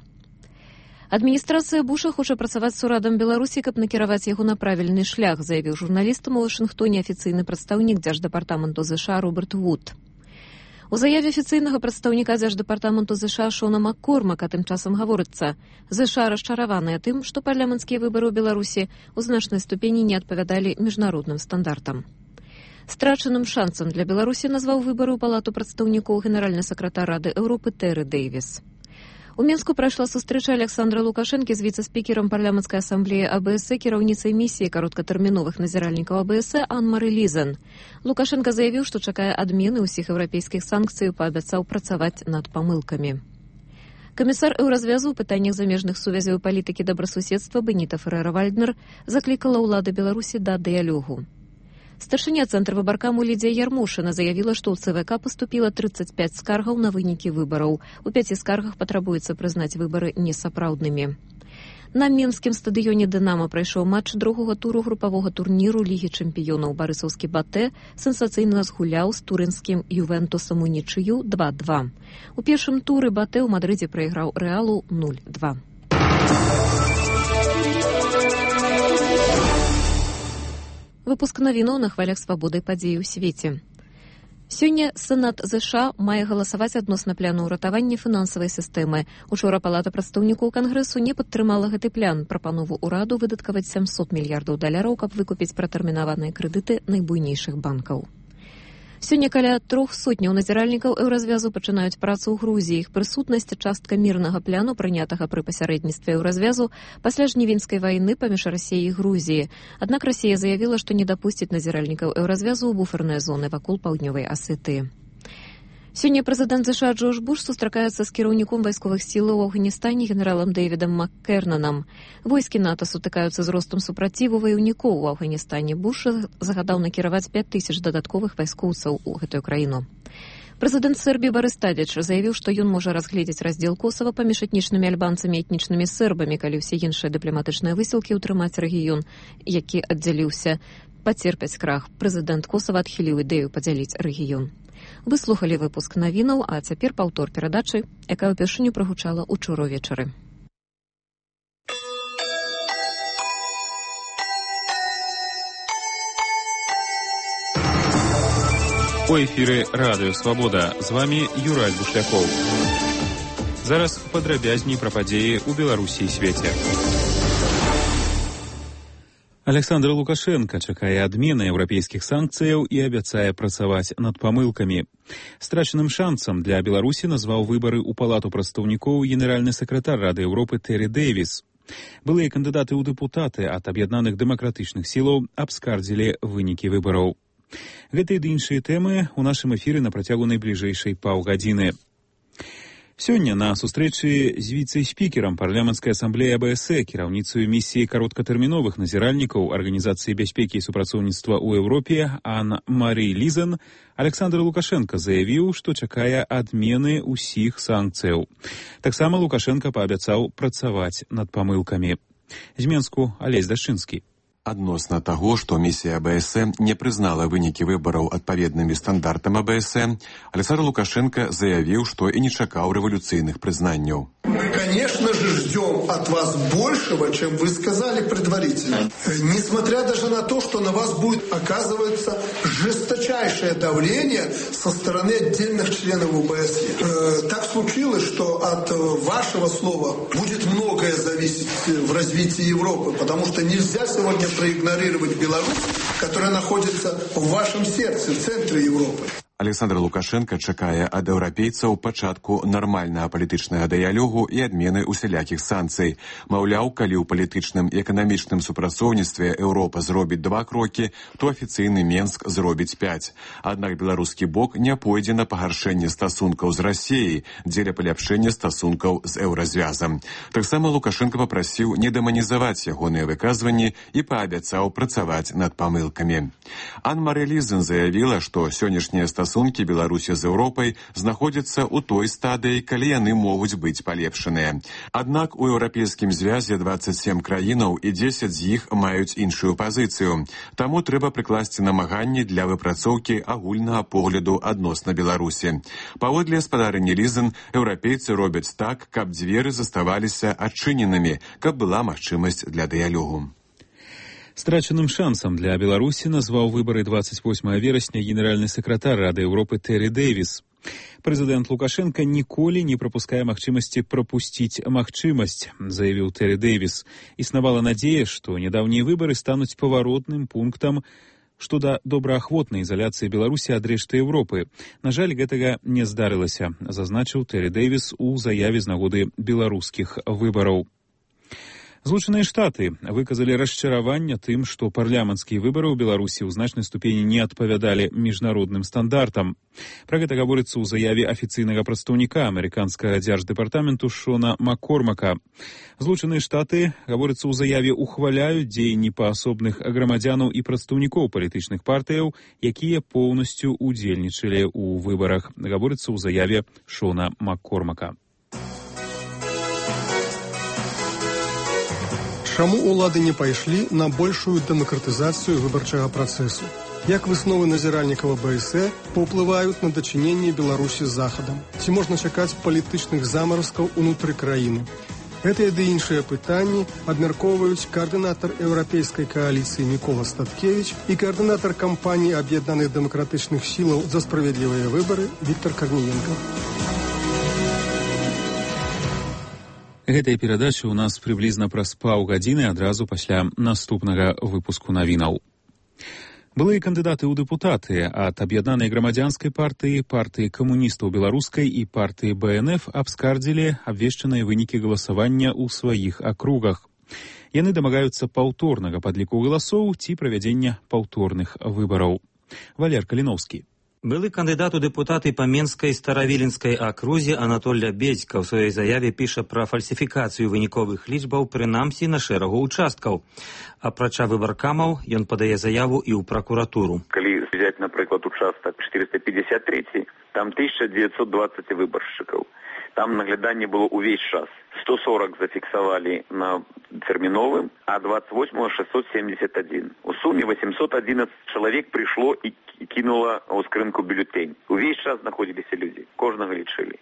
Адміністрацыя Буша хоча працаваць з урадам Беларусі, каб накіраваць яго на правільны шлях, заявіў журналістам у Вашынгтоне афіцыйны прадстаўнік дзярждэпартаменту ЗША Роберт Вуд. У заяве афіцыйнага прадстаўніка дзярждэпартаменту ЗША Шона Маккормака тым часам гаворыцца, ЗША расчараваныя тым, што парламенцкія выбары ў Беларусі ў значнай ступені не адпавядалі міжнародным стандартам. Страчаным шансам для Беларусі назваў выбары ў палату прадстаўнікоў генеральны сакратар Рады Еўропы Тэры Дэйвіс. У Менску прайшла сустрэча Александра Лукашэнкі з віцэ-спікерам парламенцкай асамблеі АБС, кіраўніцай місіі кароткатэрміновых назіральнікаў АБС Ан-Мары Лізен. Лукашенка заявіў, што чакае адмены ўсіх еўрапейскіх санкцый і паабяцаў працаваць над памылкамі. Камісар Еўразвязу ў пытаннях замежных сувязяў і палітыкі добрасуседства Беніта Феррэра-Вальднер заклікала ўлады Беларусі да дыялогу. Старшыня цэнтра выбаркаму Лідзія Ярмошына заявіла, што ў ЦВК паступіла трыццаць пяць скаргаў на вынікі выбараў. У пяці скаргах патрабуецца прызнаць выбары несапраўднымі. На Менскім стадыёне «Дынамо» прайшоў матч другога туру групавога турніру Лігі чэмпіёнаў. Барысаўскі «Батэ» сенсацыйна згуляў з турынскім «Ювентусам» у нічыю два два. У першым туры «Батэ» ў Мадрыдзе прайграў «Рэалу» нуль два. Выпуск навінаў на хвалях свабоды падзей у свеце. Сёння Сенат ЗША мае галасаваць адносна пляну ўратавання фінансавай сістэмы. Учора Палата прадстаўнікоў Кангрэсу не падтрымала гэты плян, прапанову ўраду выдаткаваць сямсот мільярдаў даляраў, каб выкупіць пратэрмінаваныя крэдыты найбуйнейшых банкаў. Сёння каля трох сотняў назіральнікаў Еўразвязу пачынаюць працу ў Грузіі. Іх прысутнасць частка мірнага пляну, прынятага пры пасярэдніцтве Еўразвязу пасля жнівеньскай вайны паміж Расіяй і Грузіяй. Аднак Расія заявіла, што не дапусціць назіральнікаў Еўразвязу ў буферныя зоны вакол паўднёвай Асетыі. Сёння прэзідэнт ЗША Джордж Буш сустракаецца з кіраўніком вайсковых сілаў у Афганістане генералам Дэвідам Маккернанам. Войскі НАТО сутыкаюцца з ростам супраціву ваяўнікоў у Афганістане. Буш загадаў накіраваць пяць тысяч дадатковых вайскоўцаў у гэтую краіну. Прэзідэнт Сербіі Барыс Тадзіч заявіў, што ён можа разгледзець раздзел Косава паміж этнічнымі альбанцамі і этнічнымі сербамі, калі ўсе іншыя дыпламатычныя высілкі ўтрымаць рэгіён, які аддзяліўся, пацерпяць крах. Прэзідэнт Косава адхіліў ідэю падзяліць рэгіён. Вы слухалі выпуск навінаў, а цяпер паўтор перадачы, якая ўпершыню прагучала учора ўвечары.
У эфіры радыё «Свабода». З вамі Юрай Бушлякоў. Зараз падрабязней пра падзеі ў Беларусі і свеце. Александр Лукашенко чакае адмены еўрапейскіх санкцыяў і абяцае працаваць над памылкамі. Страчаным шансам для Беларусі назваў выбары ў палату прадстаўнікоў генеральны сакратар Рады Еўропы Тэры Дэйвіс. Былыя кандыдаты ў дэпутаты ад аб'яднаных дэмакратычных сілаў абскардзілі вынікі выбараў. Гэтыя ды іншыя тэмы ў нашым эфіры на працягу найбліжэйшай паўгадзіны. Сёння на сустрэчы з віцэ-спікерам парламенцкай асамблеі АБС, кіраўніцаю місіі кароткатэрміновых назіральнікаў Арганізацыі бяспекі і супрацоўніцтва ў Еўропе Ан-Мары Лізен, Александр Лукашенко заявіў, што чакае адмены ўсіх санкцыяў. Таксама Лукашенко паабяцаў працаваць над памылкамі. З Менску Алесь Дашчынскі.
Адносна таго, што місія АБС не прызнала вынікі выбараў адпаведнымі стандартам АБС, Александр Лукашенко заявіў, што і не чакаў рэволюцыйных прызнанняў.
Мы, конечно же, ждем от вас большего, чем вы сказали предварительно. Несмотря даже на то, что на вас будет оказываться жесточайшее давление со стороны отдельных членов ОБСЕ. Так случилось, что от вашего слова будет многое зависеть в развитии Европы, потому что нельзя сегодня проигнорировать Беларусь, которая находится в вашем сердце, в центре Европы.
Александр Лукашенко чакае ад еўрапейцаў пачатку нармальнага палітычнага дыялогу і адмены усялякіх санкцый. Маўляў, калі ў палітычным і эканамічным супрацоўніцтве Еўропа зробіць два крокі, то афіцыйны Менск зробіць пяць. Аднак беларускі бок не пойдзе на пагаршэнне стасункаў з Расіяй дзеля паляпшэння стасункаў з еўразвязам. Таксама Лукашенко папрасіў не дэманізаваць ягоныя выказванні і паабяцаў працаваць над памылкамі. Ан-Марэ Лізен заявіла, што сённяшнія стасункі Стасункі Беларусі з Еўропай знаходзяцца ў той стадыі, калі яны могуць быць палепшаныя. Аднак у еўрапейскім звязе дваццаць сем краінаў і дзесяць з іх маюць іншую пазіцыю. Таму трэба прыкласці намаганні для выпрацоўкі агульнага погляду адносна Беларусі. Паводле спадарыні Лізен, еўрапейцы робяць так, каб дзверы заставаліся адчыненымі, каб была магчымасць для дыялогу.
Страчаным шансам для Беларусі назваў выбары двадцать восьмого верасня генеральны сакратар Рады Еўропы Тэры Дэвіс. Прэзідэнт Лукашенко ніколі не прапускае магчымасці прапусціць магчымасць, заявіў Тэры Дэвіс. Існавала надзея, што нядаўнія выбары стануць паваротным пунктам што да добраахвотнай ізаляцыі Беларусі ад рэшты Еўропы. На жаль, гэтага не здарылася, зазначыў Тэры Дэвіс у заяве з нагоды беларускіх выбараў. Злучаныя Штаты выказалі расчараванне тым, што парламенцкія выбары ў Беларусі ў значнай ступені не адпавядалі міжнародным стандартам. Пра гэта гаворыцца ў заяве афіцыйнага прадстаўніка амерыканскага дзярждэпартаменту Шона Маккормака. Злучаныя Штаты, гаворыцца ў заяве, ухваляюць дзеянні паасобных грамадзянаў і прадстаўнікоў палітычных партыяў, якія поўнасцю удзельнічалі ў выбарах. Гаворыцца ў заяве Шона Маккормака.
Чаму ўлады не пайшлі на большую дэмакратызацыю выбарчага працэсу? Як высновы назіральнікаў АБС паўплываюць на дачыненне Беларусі з Захадам? Ці можна чакаць палітычных замаразкаў унутры краіны? Гэтыя ды іншыя пытанні абмяркоўваюць каардынатар еўрапейскай кааліцыі Мікола Статкевіч і каардынатар кампаніі аб'яднаных дэмакратычных сілаў за справядлівыя выбары Віктар Карніенка.
Гэтая перадача ў нас прыблізна праз паўгадзіны адразу пасля наступнага выпуску навінаў. Былыя кандыдаты ў дэпутаты ад аб'яднанай грамадзянскай партыі, партыі камуністаў беларускай і партыі Бэ Эн Эф абскардзілі абвешчаныя вынікі галасавання ў сваіх акругах. Яны дамагаюцца паўторнага падліку галасоў ці правядзення паўторных выбараў. Валер Каліноўскі.
Былы кандыдат у дэпутаты па Менскай старавіленскай акрузе Анатоль Бедзька ў сваёй заяве піша пра фальсіфікацыю выніковых лічбаў, прынамсі на шэрагу участкаў. Апрача выбаркамаў, ён падае заяву і ў пракуратуру.
Калі взять, напрыклад, участак четыреста пятьдесят три, там тысяча девятьсот двадцать выбаршчыкаў. Там нагляданне было увесь час. сто сорок зафіксавалі на тэрміновым, а двадцать восьмого шестьсот семьдесят один. У суме восемьсот одиннадцать чалавек прыйшло і кинула ў скрынку бюллетень. Увесь час знаходзіліся людзі, кожнага лічылі.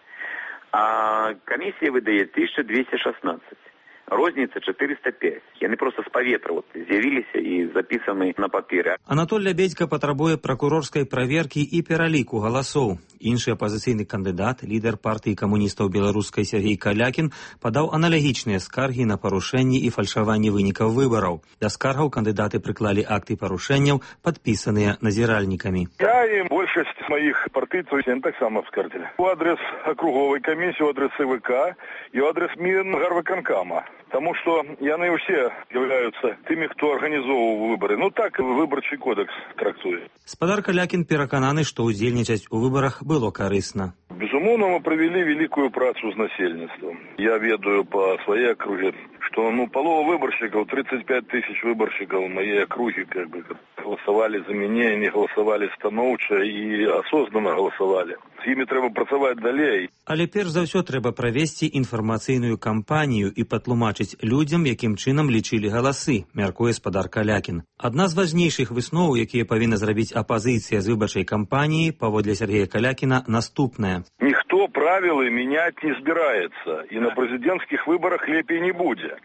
А камісія выдае тысяча двести шестнадцать. Розніца четыреста пять. Яны просто з паветра вот, з'явіліся і запісаны на паперы.
Анатоль Бедзька патрабуе пракурорскай праверкі і пераліку галасоў. Іншы апазіцыйны кандыдат, лідар партыі камуністаў беларускай Сергей Калякін, падаў аналагічныя скаргі на парушэнні і фальшаванні вынікаў выбараў. Да скаргаў кандыдаты прыклалі акты парушэнняў, падпісаныя назіральнікамі.
Я і большасць маіх партыйцаў таксама абскардзілі. У адрес акруговай камісіі, у адрес Цэ Вэ Ка і у адрес Мінгарвыканкама. Таму што яны ўсе з'яўляюцца тымі, хто арганізоўваў выбары. Ну так выбарчы кодекс трактуе.
Спадар Калякін перакананы, што ўдзельнічаць у выбарах было карысна.
Безумоўна, мы правялі вялікую працу з насельніцтвам. Я ведаю па сваёй акрузе, что, ну, полова выборщиков, тридцать пять тысяч выборщиков моей округи, как бы, голосовали за меня, не голосовали становча и осознанно голосовали. З імі трэба працаваць далей.
Але перш за ўсё трэба правесці інфармацыйную кампанію і патлумачыць людзям, якім чынам лічылі галасы, мяркуе спадар Калякін. Адна з важнейшых высноў, якія павінна зрабіць апазіцыя з выбарчай кампаніі, паводле Сергея Калякіна, наступная.
Ніхто правілы мяняць не збіраецца, і на прэзідэнцкіх выбарах лепей не будзе.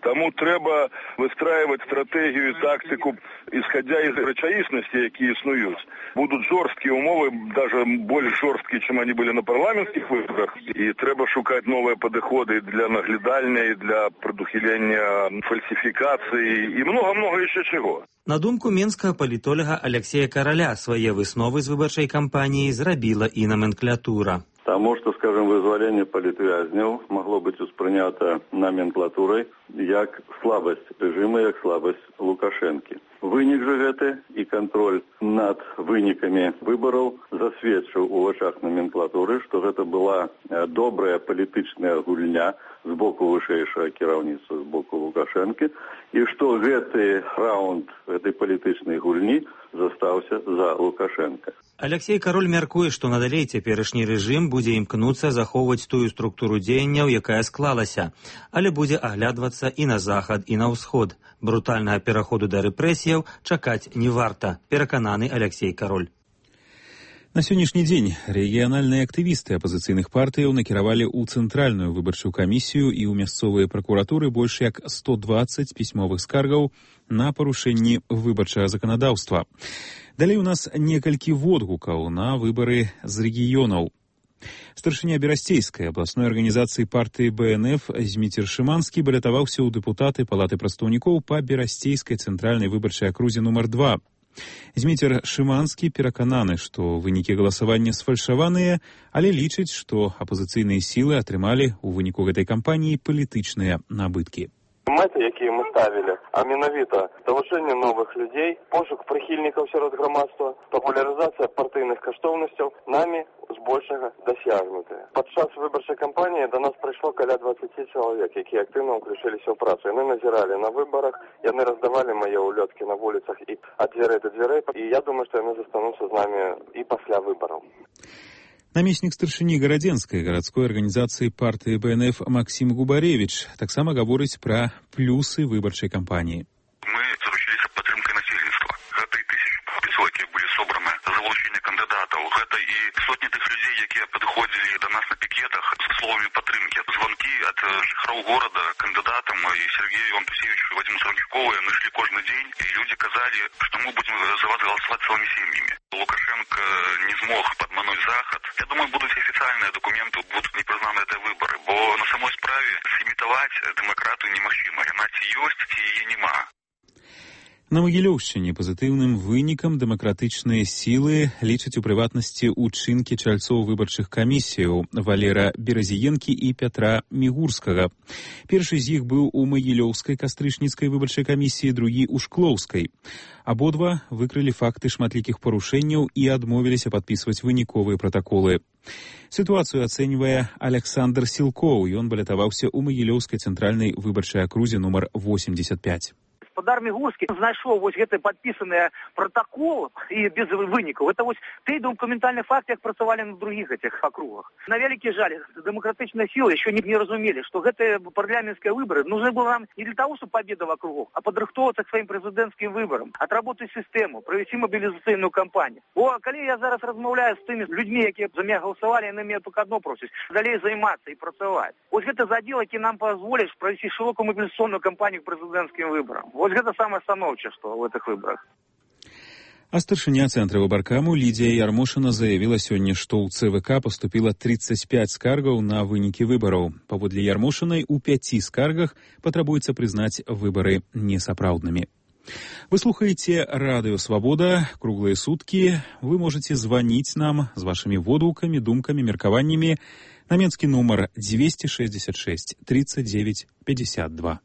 Таму трэба выстраивать стратегію і тактику, исходя из рэчаіснасці, які існуюць. Будут жорсткія умовы, даже больш жорсткія, чым они были на парламенцкіх выборах. І трэба шукаць новыя падыходы для наглядальня, для прадухілення фальсіфікацыі і много-много яшчэ чаго.
На думку менскага палітолага Алексея Караля, свае высновы з выбарчай кампаніі зрабіла і номенклатура.
Тому что, скажем, вызволение политвязнев могло быть успрынято номенклатурой як слабость режима, як слабость Лукашенки. Вынік же гэты і контроль над вынікамі выбораў засведчыў у вачах номенклатуры, што гэта была добрая палітычная гульня з боку вышэйшага кіраўніцтва, з боку Лукашенкі, і што гэты раунд гэтай палітычнай гульні застаўся за Лукашенка.
Алексей Кароль мяркуе, што надалей цяперашні рэжым будзе імкнуцца захоўваць тую структуру дзеянняў, якая склалася, але будзе аглядвацца і на захад, і на ўсход. Брутальнага пераходу да рэпрэсіяў чакаць не варта, перакананы Алексей Кароль.
На сённяшні дзень рэгіянальныя актывісты апазіцыйных партыяў накіравалі ў цэнтральную выбарчую камісію і ў мясцовыя пракуратуры больш як сто дваццаць пісьмовых скаргаў на парушэнні выбарчага заканадаўства. Далей у нас некалькі водгукаў на выбары з рэгіёнаў. Старшыня Берасцейскай абласной арганізацыі партыі Бэ Эн Эф Зміцер Шыманскі балятаваўся ў дэпутаты Палаты прадстаўнікоў па Берасцейскай цэнтральнай выбарчай акрузе нумар два. Зміцер Шыманскі перакананы, што вынікі галасавання сфальшаваныя, але лічыць, што апазіцыйныя сілы атрымалі ў выніку гэтай кампаніі палітычныя набыткі.
Мэты, якія мы ставілі, а менавіта залучэнне новых людзей, пошук прыхільнікаў сярод грамадства, папулярызацыя партыйных каштоўнасцяў намі збольшага дасягнутыя. Падчас выбарчай кампаніі да нас прыйшло каля дваццаць чалавек, якія актыўна ўключыліся ў працу. Яны назіралі на выбарах, яны раздавалі мае ўлёткі на вуліцах і ад дзвярэй да дзвярэй, і я думаю, што яны застануцца з намі і пасля выбараў.
Намеснік старшыні гарадзенскай гарадской арганізацыі партыі Бэ Эн Эф Максім Губаревіч таксама гаворыць пра плюсы выбарчай кампаніі.
Мы заручились падтрымкай насельніцтва. Гэта і тысячы падпісаў, якія былі собраны за залучэнне кандыдатаў. Гэта і сотні тых людзей, якія падыходзілі да нас на пікетах з словамі падтрымкі. Званкі ад жыхароў горада кандыдатам і Сергею Антусевичу, Вадиму Сарнюкову яны шлі кожны дзень, і людзі казалі, што мы будзем за вас галасаваць цэлымі сем'ямі. Лукашенко не змог падмануць захад. Я думаю, будут официальные документы, будут непризнаны эти выборы, бо на самой справе сімітаваць дэмакратыю немагчыма, яна ці ёсць, ці яе няма.
На Магілёўшчыне пазітыўным вынікам дэмакратычныя сілы лічаць у прыватнасці ўчынкі чальцоў выбарчых камісіяў Валера Беразіенкі і Пятра Мігурскага. Першы з іх быў у Магілёўскай кастрычніцкай выбарчай камісіі, другі ў Шклоўскай. Абодва выкрылі факты шматлікіх парушэнняў і адмовіліся падпісваць выніковыя пратаколы. Сітуацыю ацэньвае Александр Сілкоў, ён балятаваўся ў Магілёўскай цэнтральнай выбарчай акрузе нумар восемьдесят пять.
Гаспадар Мігурскі знайшоў вось гэты падпісаныя пратакол і без вынікаў. Это вось той документальны факт, як працавалі на другіх гэтых акругах. На вялікі жаль, дэмакратычныя сілы яшчэ не, не разумелі, што гэтыя парламенцкія выборы нужны было нам не для того, чтобы победа в округах, а падрыхтоўвацца к сваім прэзідэнцкім выборам, отработать сістэму, правесці мобілізацыйную кампанію. О, калі я зараз размаўляю з тымі людзьмі, якія за меня галасавалі, яны мяне толькі адно просяць далей займацца і працаваць. Вось гэта задзел, які нам пазволіць правесці шырокую мобілізацыйную кампанію к прэзідэнцкім выборам. Вот это самое становчее, что в этих выборах.
А старшыня цэнтра выбаркаму Лідія Ярмошына заявіла сёння, што ў Цэ Вэ Ка паступіла тридцать пять скаргаў на вынікі выбараў. Паводле Ярмошынай, у пяці скаргах патрабуецца прызнаць выбары несапраўднымі. Вы слухаеце радыё «Свабода», круглыя суткі. Вы можете званіць нам з вашымі водгукамі, думкамі, меркаваннямі на менскі нумар двести шестьдесят шесть тридцать девять пятьдесят два.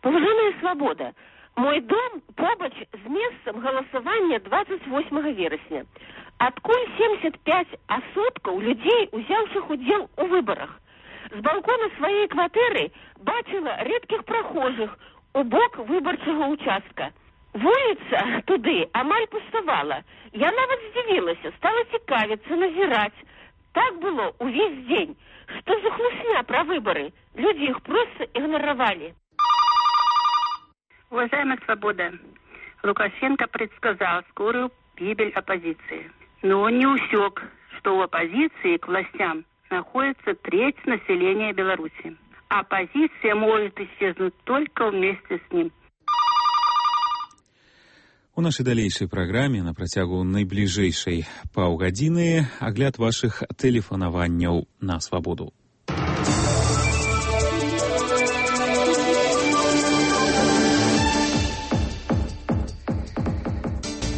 Паважаная «Свабода», мой дом побач з месцам галасавання двадцать восьмага верасня. Адкуль семьдесят пять адсоткаў людзей, узяўшых удзел у выбарах. З балкона сваёй кватэры бачыла рэдкіх прахожых у бок выбарчага ўчастка. Вуліца туды амаль пуставала. Я нават здзівілася, стала цікавіцца, назіраць. Так было увесь дзень. Што за хлусня про выборы? Люди их просто игнорировали.
Уважаемая «Свобода», Лукашенко предсказал скорую гибель оппозиции. Но он не усек, что у оппозиции к властям находится треть населения Беларуси. Оппозиция может исчезнуть только вместе с ним.
У нашай далейшай праграме на працягу найбліжэйшай паўгадзіны агляд вашых тэлефанаванняў на свабоду.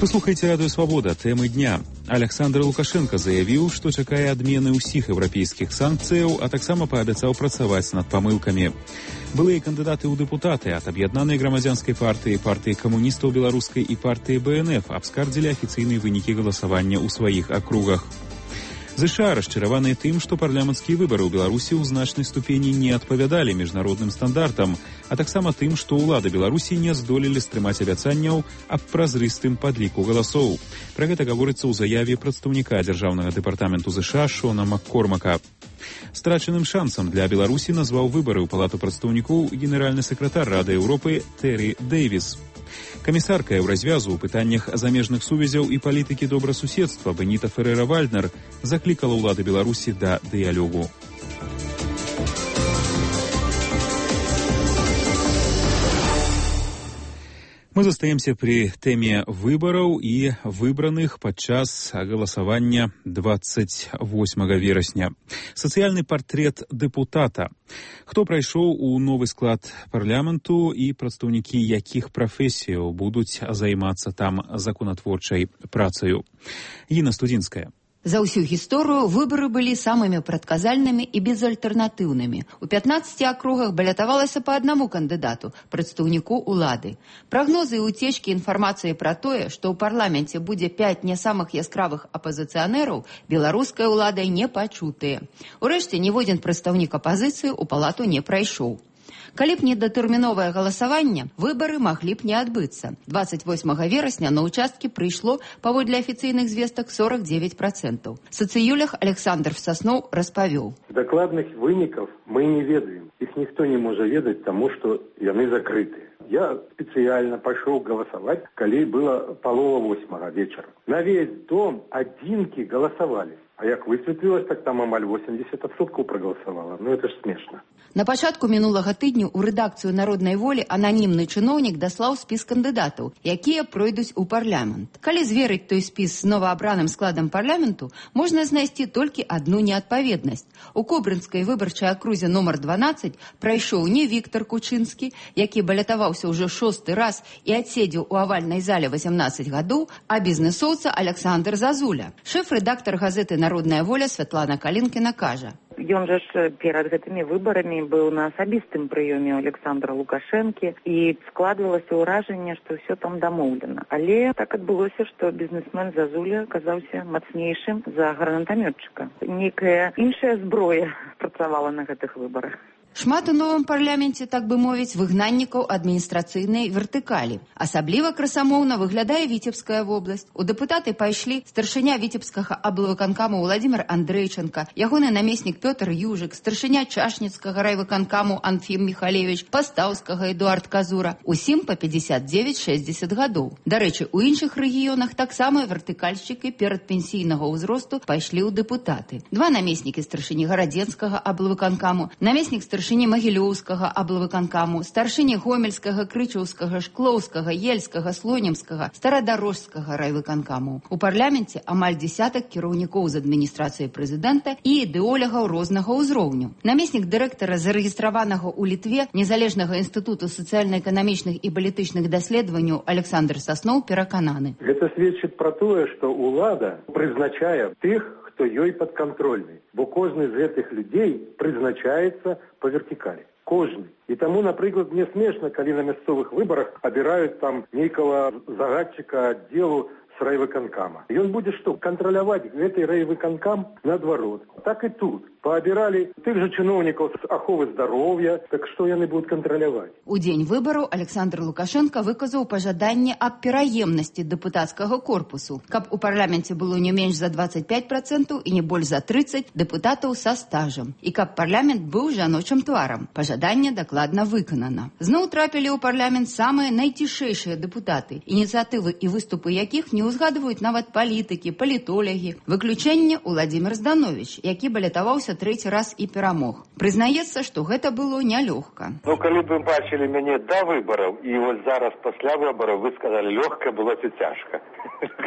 Паслухайце радыё «Свабода». Тэмы дня. Александр Лукашенко заявіў, што чакае адмены ўсіх еўрапейскіх санкцыяў, а таксама паабяцаў працаваць над памылкамі. Былыя кандыдаты ў дэпутаты ад аб'яднанай грамадзянскай партыі, партыі камуністаў беларускай і партыі бэ эн эф абскардзілі афіцыйныя вынікі галасавання ў сваіх акругах. ЗША расчараваныя тым, што парламенцкія выбары ў Беларусі ў значнай ступені не адпавядалі міжнародным стандартам, а таксама тым, што ўлады Беларусі не здолелі стрымаць абяцанняў аб празрыстым падліку галасоў. Пра гэта гаворыцца ў заяве прадстаўніка дзяржаўнага дэпартаменту ЗША Шона Маккормака. Страчаным шансам для Беларусі назваў выбары ў палату прадстаўнікоў генеральны сакратар Рады Еўропы Тэры Дэйвіс. Камісарка Еўразвязу ў пытаннях замежных сувязяў і палітыкі добрасуседства Беніта Ферэра-Вальднер заклікала ўлады Беларусі да дыялогу. Мы застаемся при теме выбораў і выбраных падчас галасавання двадцать восьмага верасня. Сацыяльны партрэт дэпутата. Хто прайшоў у новы склад парламенту і прадстаўнікі якіх прафесіяў будуць займацца там законатворчай працаю. Інна Студзінская.
За ўсю гісторыю выбары былі самымі прадказальнымі і безальтэрнатыўнымі. У пятнаццаці акругах балятавалася па аднаму кандыдату, прадстаўніку ўлады. Прагнозы і уцечкі інфармацыі пра тое, што ў парламенце будзе пяць не самых яскравых апазіцыянераў, беларускай уладай не пачутыя. Урэшце, ніводзін прадстаўнік апазіцыі ў палату не прайшоў. Калі б недатэрміновае галасаванне, выбары маглі б не адбыцца. двадцать восьмага верасня на ўчасткі прыйшло, паводле афіцыйных звестак, сорок девять процентов. Сацыюлях Александр Сасноў распавёў.
Дакладных вынікаў мы не ведаем. Іх ніхто не можа ведаць, таму што яны закрытыя. Я спецыяльна пайшоў галасаваць, калі была палова восьмага вечара. На весь дом адзінкі галасавалі. А як высветлілася, так там амаль восемьдесят адсоткаў прагаласавала. Ну, это ж смешна.
На пачатку мінулага тыдню ў рэдакцыю «Народнай волі» ананімны чыноўнік даслаў спіс кандыдатаў, якія пройдуць у парламент. Калі зверыць той спіс з новаабраным складам парламенту, можна знайсці толькі адну неадпаведнасць. У Кобрынскай выбарчай акрузе номер дванаццаць прайшоў не Віктор Кучынскі, які балятаваўся ўжо шосты раз і адседзеў у авальнай зале восемнадцать гадоў, а бізнесоўца Александр Зазуля. Шэф-рэдактар газеты «Народная воля» Святлана Калінкіна кажа.
Ён жа ж перад гэтымі выбарамі быў на асабістым прыёме Александра Лукашэнкі і складвалася ўражанне, што ўсё там дамоўлена. Але так адбылося, што бізнесмен Зазуля аказаўся мацнейшым за гранатамётчыка. Нейкая іншая зброя працавала на гэтых выбарах.
Шмат у новым парламенце, так бы мовіць, выгнаннікаў адміністрацыйнай вертыкалі. Асабліва красамоўна выглядае Віцебская вобласць. У дэпутаты пайшлі старшыня Віцебскага аблвыканкаму Владзімир Андрэйченка, ягоны намеснік Пётр Южык, старшыня Чашніцкага райвыканкаму Анфім Міхалевіч, Пастаўскага Эдуард Казура. Усім па пятьдесят девять шестьдесят гадоў. Дарэчы, у іншых рэгіёнах таксама вертыкальшчыкі перадпенсійнага ўзросту пайшлі ў дэпутаты. Два намеснікі старшыні Гарадзенскага аблвыканкаму, намеснік старшыні старшыні Магілёўскага аблвыканкаму, старшыні Гомельскага, Крычаўскага, Шклоўскага, Ельскага, Слонімскага, Старадарожскага райвыканкаму. У парламенце амаль дзесятак кіраўнікоў з адміністрацыі прэзідэнта і ідэолягаў рознага ўзроўню. Намеснік дырэктара зарэгістраванага ў Літве Незалежнага інстытуту сацыяльна-эканамічных і палітычных даследаванняў Александр Сасноў перакананы.
Гэта сведчыць пра тое, што ўлада прызначае тых, хто ёй падкантрольны, бо кожны з гэтых людзей прызначаецца па вертыкалі. Кожны. І таму, напрыклад, мне смешна, калі на мясцовых выбарах абіраюць там нейкага загадчыка аддзелу с райвыканкама. И он будет что, контролировать этой райвыканкам наоборот. Так и тут. Пообирали тех же чиновников с аховы здоровья, так что яны будут контролировать.
У дзень выбараў Александр Лукашенко выказаў пажаданне аб пераемнасці дэпутацкага корпусу, каб у парламенце было не менш за двадцать пять процентов і не больш за тридцать дэпутатаў са стажам, і каб парламент быў жаночым тварам. Пажаданне дакладна выканана. Зноў трапілі ў парламент самыя найцішэйшыя дэпутаты, ініцыятывы і выступы якіх не ўзгадваюць нават палітыкі, палітолягі. Выключэнне Владимир Зданович, які балятаваўся трэці раз і перамог. Прызнаецца, што гэта было нялёгка.
Ну, калі б вы бачылі мяне да выбараў, і вось зараз пасля выбараў вы сказалі, лёгка было ці цяжка.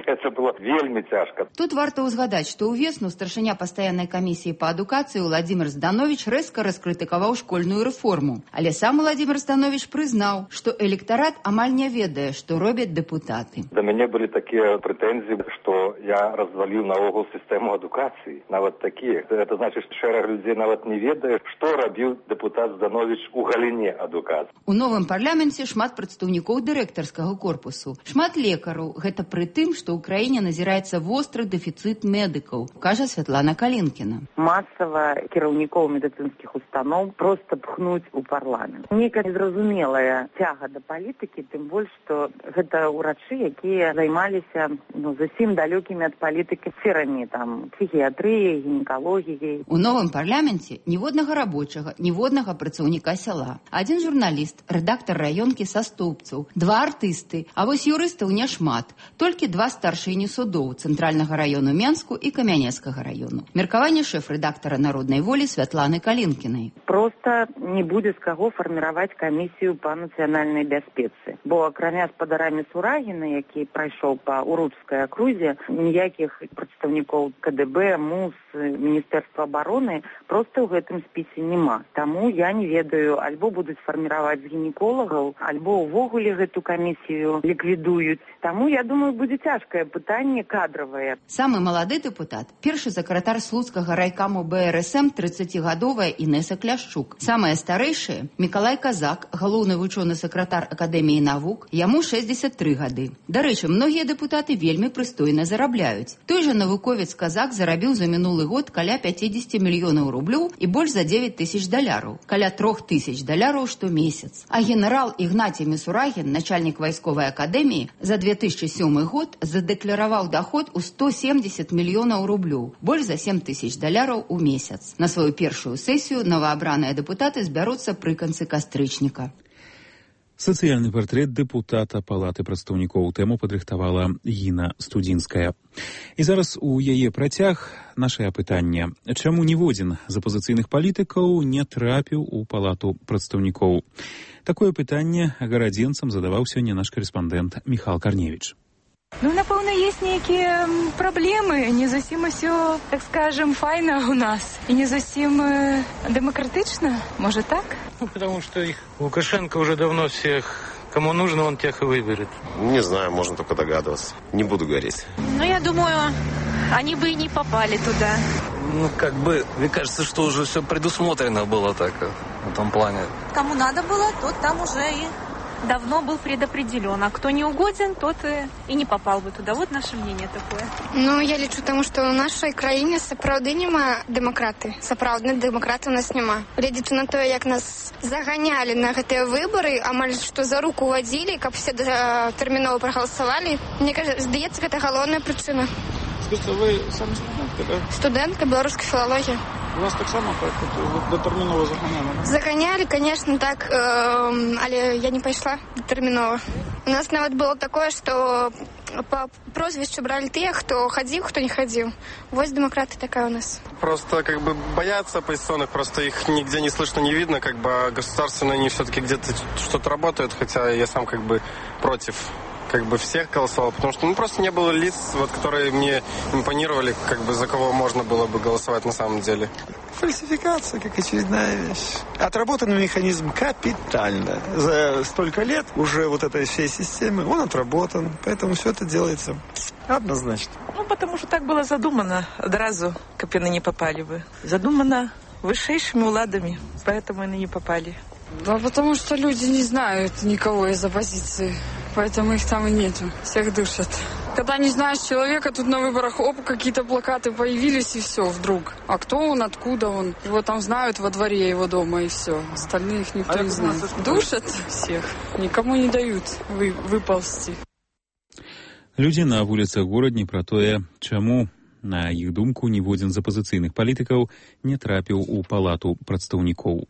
Это было вельмі цяжка.
Тут варта ўзгадаць, што ўвесну старшыня пастаяннай камісіі па адукацыі Владимир Зданович рэзка раскрытыкаваў школьную рэформу. Але сам Владимир Зданович прызнаў, што электарат амаль не ведае, што робяць дэпутаты.
Да мяне былі такія прэтэнзіі, што я разваліў наогул сістэму адукацыі. Нават такія. Это значыць, што шэраг людзей нават не ведае, што рабіў дэпутат Зданович у галіне адукацыі.
У новым парламенце шмат прадстаўнікоў дырэктарскага корпусу, шмат лекараў. Гэта пры тым, што ў краіне назіраецца востры дэфіцыт медыкаў, кажа Святлана Калінкіна.
Масава кіраўнікоў медыцынскіх устаноў проста пхнуць у парламент. Нейкая незразумелая цяга да палітыкі, тым больш, што гэта ўрачы, якія займаліся ну, зусім далёкімі ад палітыкі сферамі, там, псіхіятрыяй, гінекалогіяй.
У новым парламенце ніводнага рабочага, ніводнага працаўніка сяла. Адзін журналіст, рэдактар раёнкі са Стоўбцаў, два артысты, а вось юрыстаў няшмат, толькі два старшыні судоў Цэнтральнага раёну Менску і Камянецкага раёну. Меркаванне шэф-рэдактара Народнай волі Святланы Калінкінай.
Проста не будзе з каго фарміраваць камісію па нацыянальнай бяспецы. Бо акрамя спадара Міцурагіна, які прайшоў па Уручскай акрузе, ніякіх прадстаўнікоў ка дэ бэ, МУС, Міністэрства обороны просто ў гэтым спісе няма. Таму я не ведаю, альбо будуць фарміраваць з гінеколагаў, альбо ўвогуле гэту камісію ліквідуюць. Таму, я думаю, будзе цяжкае пытанне кадравае.
Самы малады дэпутат, першы сакратар слуцкага райкаму бэ эр эс эм трыццацігадовая Інеса Кляшчук. Самая старэйшая Мікалай Казак, галоўны вучоны сакратар Акадэміі навук, яму шэсцьдзесят тры гады. Дарэчы, многія дэпутаты вельмі прыстойна зарабляюць. Той жа навуковец Казак зарабіў за мінулы год каля пяцьдзесят мільёнаў рублёў і больш за девять тысяч даляраў, каля трох тысяч даляраў штомесяц. А генерал Ігнацій Міцурагін, начальнік вайсковай акадэміі, за две тысячи сёмы год задэклараваў доход у сто семьдесят мільёнаў рублёў, больш за семь тысяч даляраў у месяц. На сваю першую сесію новаабраныя дэпутаты збяруцца пры канцы кастрычніка.
Сацыяльны партрэт дэпутата Палаты прадстаўнікоў тэму падрыхтавала Гіна Студзінская. І зараз у яе працяг нашае пытанне. Чаму ніводзін з апазіцыйных палітыкаў не трапіў у Палату прадстаўнікоў? Такое пытанне гарадзенцам задаваў сёння наш карэспандэнт Міхал Карневіч.
Ну, напэўна, есть нейкія праблемы, не зусім усё, так скажем, файна у нас, и не зусім э, демократично, может так?
Ну, потому что их Лукашенко уже давно всех, кому нужно, он тех и выберет.
Не знаю, можно только догадываться. Не буду говорить.
Ну, я думаю, они бы и не попали туда.
Ну, как бы, мне кажется, что уже все предусмотрено было так, в этом плане.
Кому надо было, тот там уже и давно был предопределен. А кто не угоден, тот и, и не попал бы туда. Вот наше мнение такое.
Ну, я лічу, тому що у нашій країні сапраўды нема демократи. Сапраўдних демократів у нас нема. Глядячи на те, як нас заганяли на гэтыя выборы, амаль што за руку водили, каб все терміново проголосовали, мне кажется, здаецца, гэта галоўная причина.
Скажите, вы сами студентка, да?
Студентка белорусской филологии.
У вас так само так, дотерміново заганяли, да?
Заганяли, конечно, так, э, але я не пошла дотерміново. У нас нават было такое, что по прозвищу брали тех, кто ходил, кто не ходил. Вось демократы такая у нас.
Просто как бы боятся оппозиционных, просто их нигде не слышно, не видно, как бы государственные они все-таки где-то что-то работают, хотя я сам как бы против как бы всех голосовал, потому что ну, просто не было лиц, вот, которые мне импонировали, как бы за кого можно было бы голосовать на самом деле.
Фальсификация, как очередная вещь. Отработанный механизм капитально. За столько лет уже вот этой всей системы он отработан, поэтому все это делается однозначно.
Ну, потому что так было задумано. Одразу капины не попали бы. Задумано высшими уладами, поэтому они не попали.
Да потому что люди не знают никого из оппозиции. Поэтому их там и нету. Всех душат.
Когда не знаешь человека, тут на выборах, оп, какие-то плакаты появились, и все, вдруг. А кто он, откуда он? Его там знают во дворе его дома, и все. Остальных никто а не знает. Душат всех, никому не дают вы, выползти.
Людзі на вуліцах горадні пра тое, чаму, на іх думку, ніводзін з апазіцыйных палітыкаў не трапіў у палату прадстаўнікоў.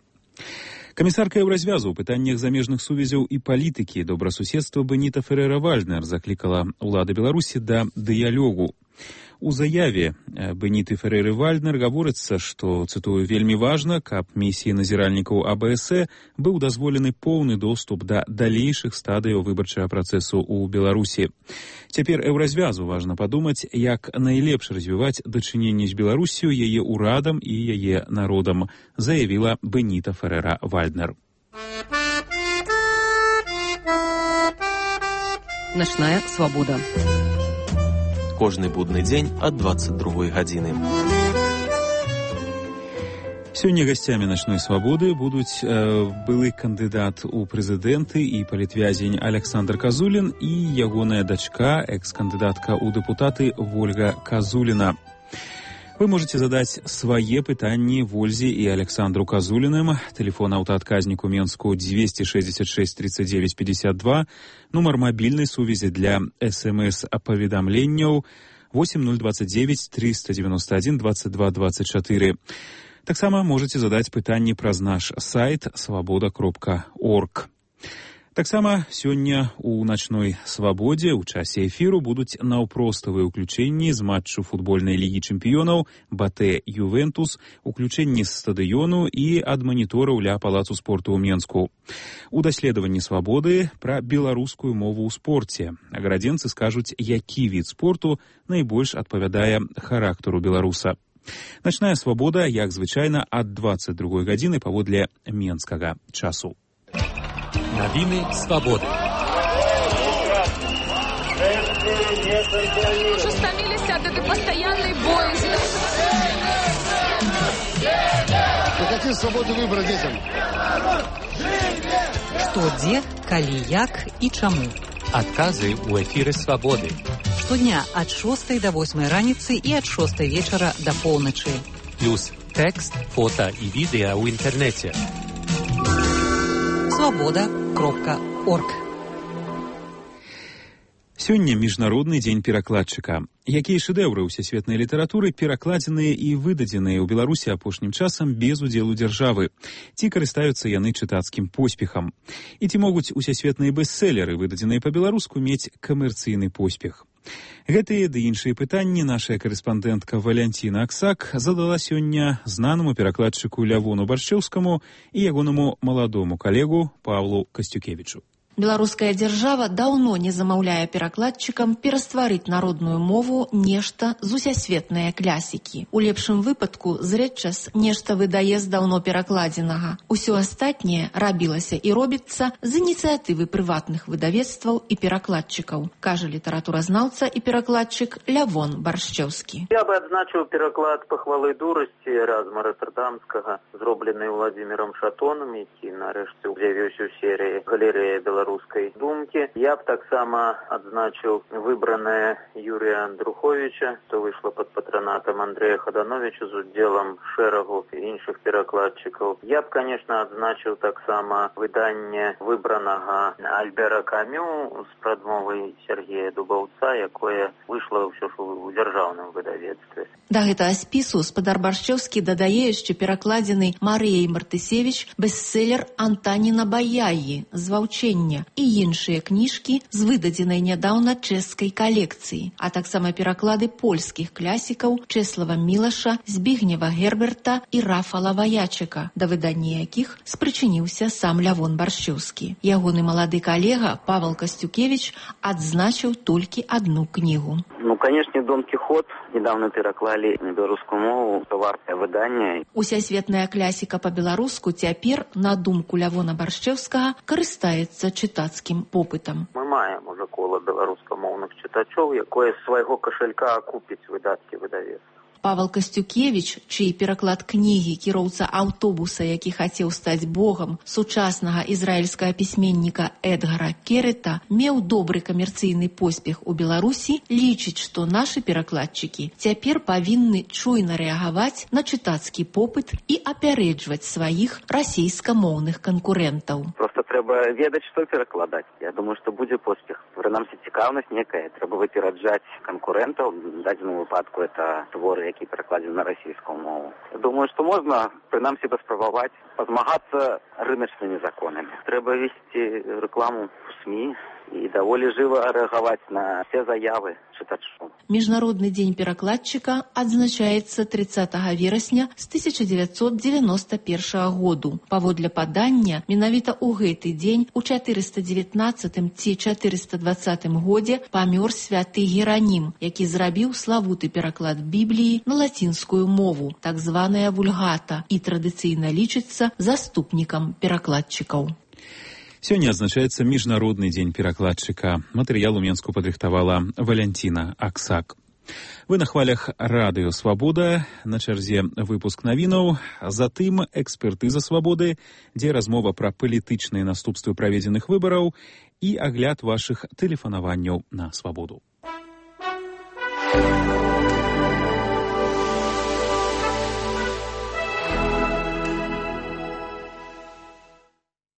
Камісарка Еўразвязу ў пытаннях замежных сувязяў і палітыкі добрасуседства Беніта Ферера-Вальднер заклікала ўлады Беларусі да дыялогу. У заяве Беніты Фереры-Вальднер гаворыцца, што, цытую, вельмі важна, каб місіі назіральнікаў А Бэ Эс Э быў дазволены поўны доступ да далейшых стадыяў выбарчага працэсу ў Беларусі. Цяпер Еўразвязу важна падумаць, як найлепш развіваць дачыненні з Беларусію, яе ўрадам і яе народам, заявіла Беніта Ферера-Вальднер.
Начная свабода.
Кожны будны дзень ад дваццаць другой гадзіны.
Сёння гасцямі начной свабоды будуць э, былы кандыдат у прэзідэнты і палітвязень Александр Казулін і ягоная дачка, экс-кандыдатка ў дэпутаты Вольга Казуліна. Вы можете задаць свае пытанні Вользе і Александру Казуліным. Телефон аўтаадказніку Менску двести шестьдесят шесть тридцать девять пятьдесят два, нумар мабільнай сувязі для эс эм эс-паведамленняў восемь ноль двадцать девять триста девяносто один двадцать два двадцать четыре. Таксама можете задаць пытанні праз наш сайт свабода кропка орг. Таксама сёння у начной свабодзе ў часе эфіру будуць наўпроставыя ўключэнні з матчу футбольнай лігі чэмпіёнаў Батэ Ювентус, уключэнні з стадыёну і ад манітораў ля палацу спорту ў Менску. У даследаванні свабоды пра беларускую мову ў спорце. Аградзенцы скажуць, які від спорту найбольш адпавядае характару беларуса. Начная свабода, як звычайна, ад дваццаць другой гадзіны паводле менскага часу.
Новины свободы.
Уже стомились от этой постоянной боязни.
Мы хотим свободы выбора детям.
Што, дзе, калі, як і чаму.
Адказы ў эфіры свабоды.
Штодня ад шостай да восьмай раніцы і ад шостай вечара да поўначы.
Плюс тэкст, фота і відэа ў інтэрнэце.
свабода кропка орг.
Сёння міжнародны дзень перакладчыка. Якія шэдэўры ўсесветнай літаратуры перакладзеныя і выдадзеныя ў Беларусі апошнім часам без удзелу дзяржавы? Ці карыстаюцца яны чытацкім поспехам? І ці могуць усесветныя бестселеры, выдадзеныя па-беларуску, мець камерцыйны поспех? Гэтыя ды іншыя пытанні наша карэспандэнтка Валянціна Аксак задала сёння знанаму перакладчыку Лявону Баршчэўскаму і ягонаму маладому калегу Павлу Касцюкевічу.
Беларуская дзяржава даўно не замаўляе перакладчыкам перастварыць народную мову нешта з усесветныя клясікі. У лепшым выпадку зрэдчас нешта выдае з даўно перакладзенага. Усё астатняе рабілася і робіцца з ініцыятывы прыватных выдавецтваў і перакладчыкаў, кажа літаратуразнаўца і перакладчык Лявон Баршчэўскі.
Я бы адзначыў пераклад пахвалы дурасці Эразма Роттердамскага, зроблены Владзімірам Шатонам, які нарэшце з'явіўся ў серыі галерэя беларускай русской думки. Я б таксама адзначыў выбранное Юрия Андруховича, что вышло под патронатом Андрея Ходановича з удзелам шэрагу іншых перакладчыкаў. Я б, конечно, адзначыў таксама выданне выбранага Альбера Камю з прадмовай Сергея Дубаўца, якое вышло ўсё ж у дзяржаўным выдавецтве.
Да гэтага спісу спадар Баршчэўскі дадае яшчэ перакладзены Марыяй Мартысевіч бестселер Антаніна Баяі «Зваўчэнне» і іншыя кніжкі з выдадзенай нядаўна чэшскай калекцыі, а таксама пераклады польскіх клясікаў Чэслава Мілаша, Збігнева Герберта і Рафала Ваячыка, да выдання якіх спрычыніўся сам Лявон Баршчэўскі. Ягоны малады калега Павел Касцюкевич адзначыў толькі адну кнігу.
Ну, конечно, Дон Кихот недавно пераклалі на беларускую мову, то вартае выданне.
Усесветная клясіка па-беларуску цяпер, на думку Лявона Баршчэўскага, карыстаецца чытацкім попытам.
Мы маем уже кола беларускамоўных чытачоў, якое з свайго кашалька акупіць выдаткі выдавецтва.
Павел Костюкевич, чий пераклад кнігі «Кіроўца аўтобуса, які хацеў стаць богам» сучаснага ізраільскага пісьменніка Эдгара Керета, меў добры камерцыйны поспех у Беларусі, лічыць, што нашы перакладчыкі цяпер павінны чуйна рэагаваць на чытацкі попыт і апярэджваць сваіх расійскамоўных канкурэнтаў.
Просто трэба ведаць, што перакладаць. Я думаю, што будзе поспех. Прынамсі, цікаўнасць некая. Трэба выпераджаць канкурэнтаў. В дадзеным выпадку это творы, які перакладзены на расійскую мову. Я думаю, што можна, прынамсі, паспрабаваць пазмагацца рыначнымі законамі. Трэба весці рэкламу ў СМІ і даволі жыва рэагаваць на все заявы чытачоў.
Міжнародны дзень перакладчыка адзначаецца трыццатага верасня з тысяча дзевяцьсот дзевяноста першага году. Паводле падання, менавіта ў гэты дзень у чатырыста дзевятнаццатым ці чатырыста дваццатым годзе памёр святы Геранім, які зрабіў славуты пераклад Бібліі на лацінскую мову, так званая вульгата, і традыцыйна лічыцца заступнікам перакладчыкаў.
Сёння адзначаецца міжнародны дзень перакладчыка. Матэрыял у Менску падрыхтавала Валянціна Аксак. Вы на хвалях радыё «Свабода», на чарзе выпуск навінаў, затым экспертыза «Свабоды», дзе размова пра палітычныя наступствы праведзеных выбараў і агляд вашых тэлефанаванняў на «Свабоду».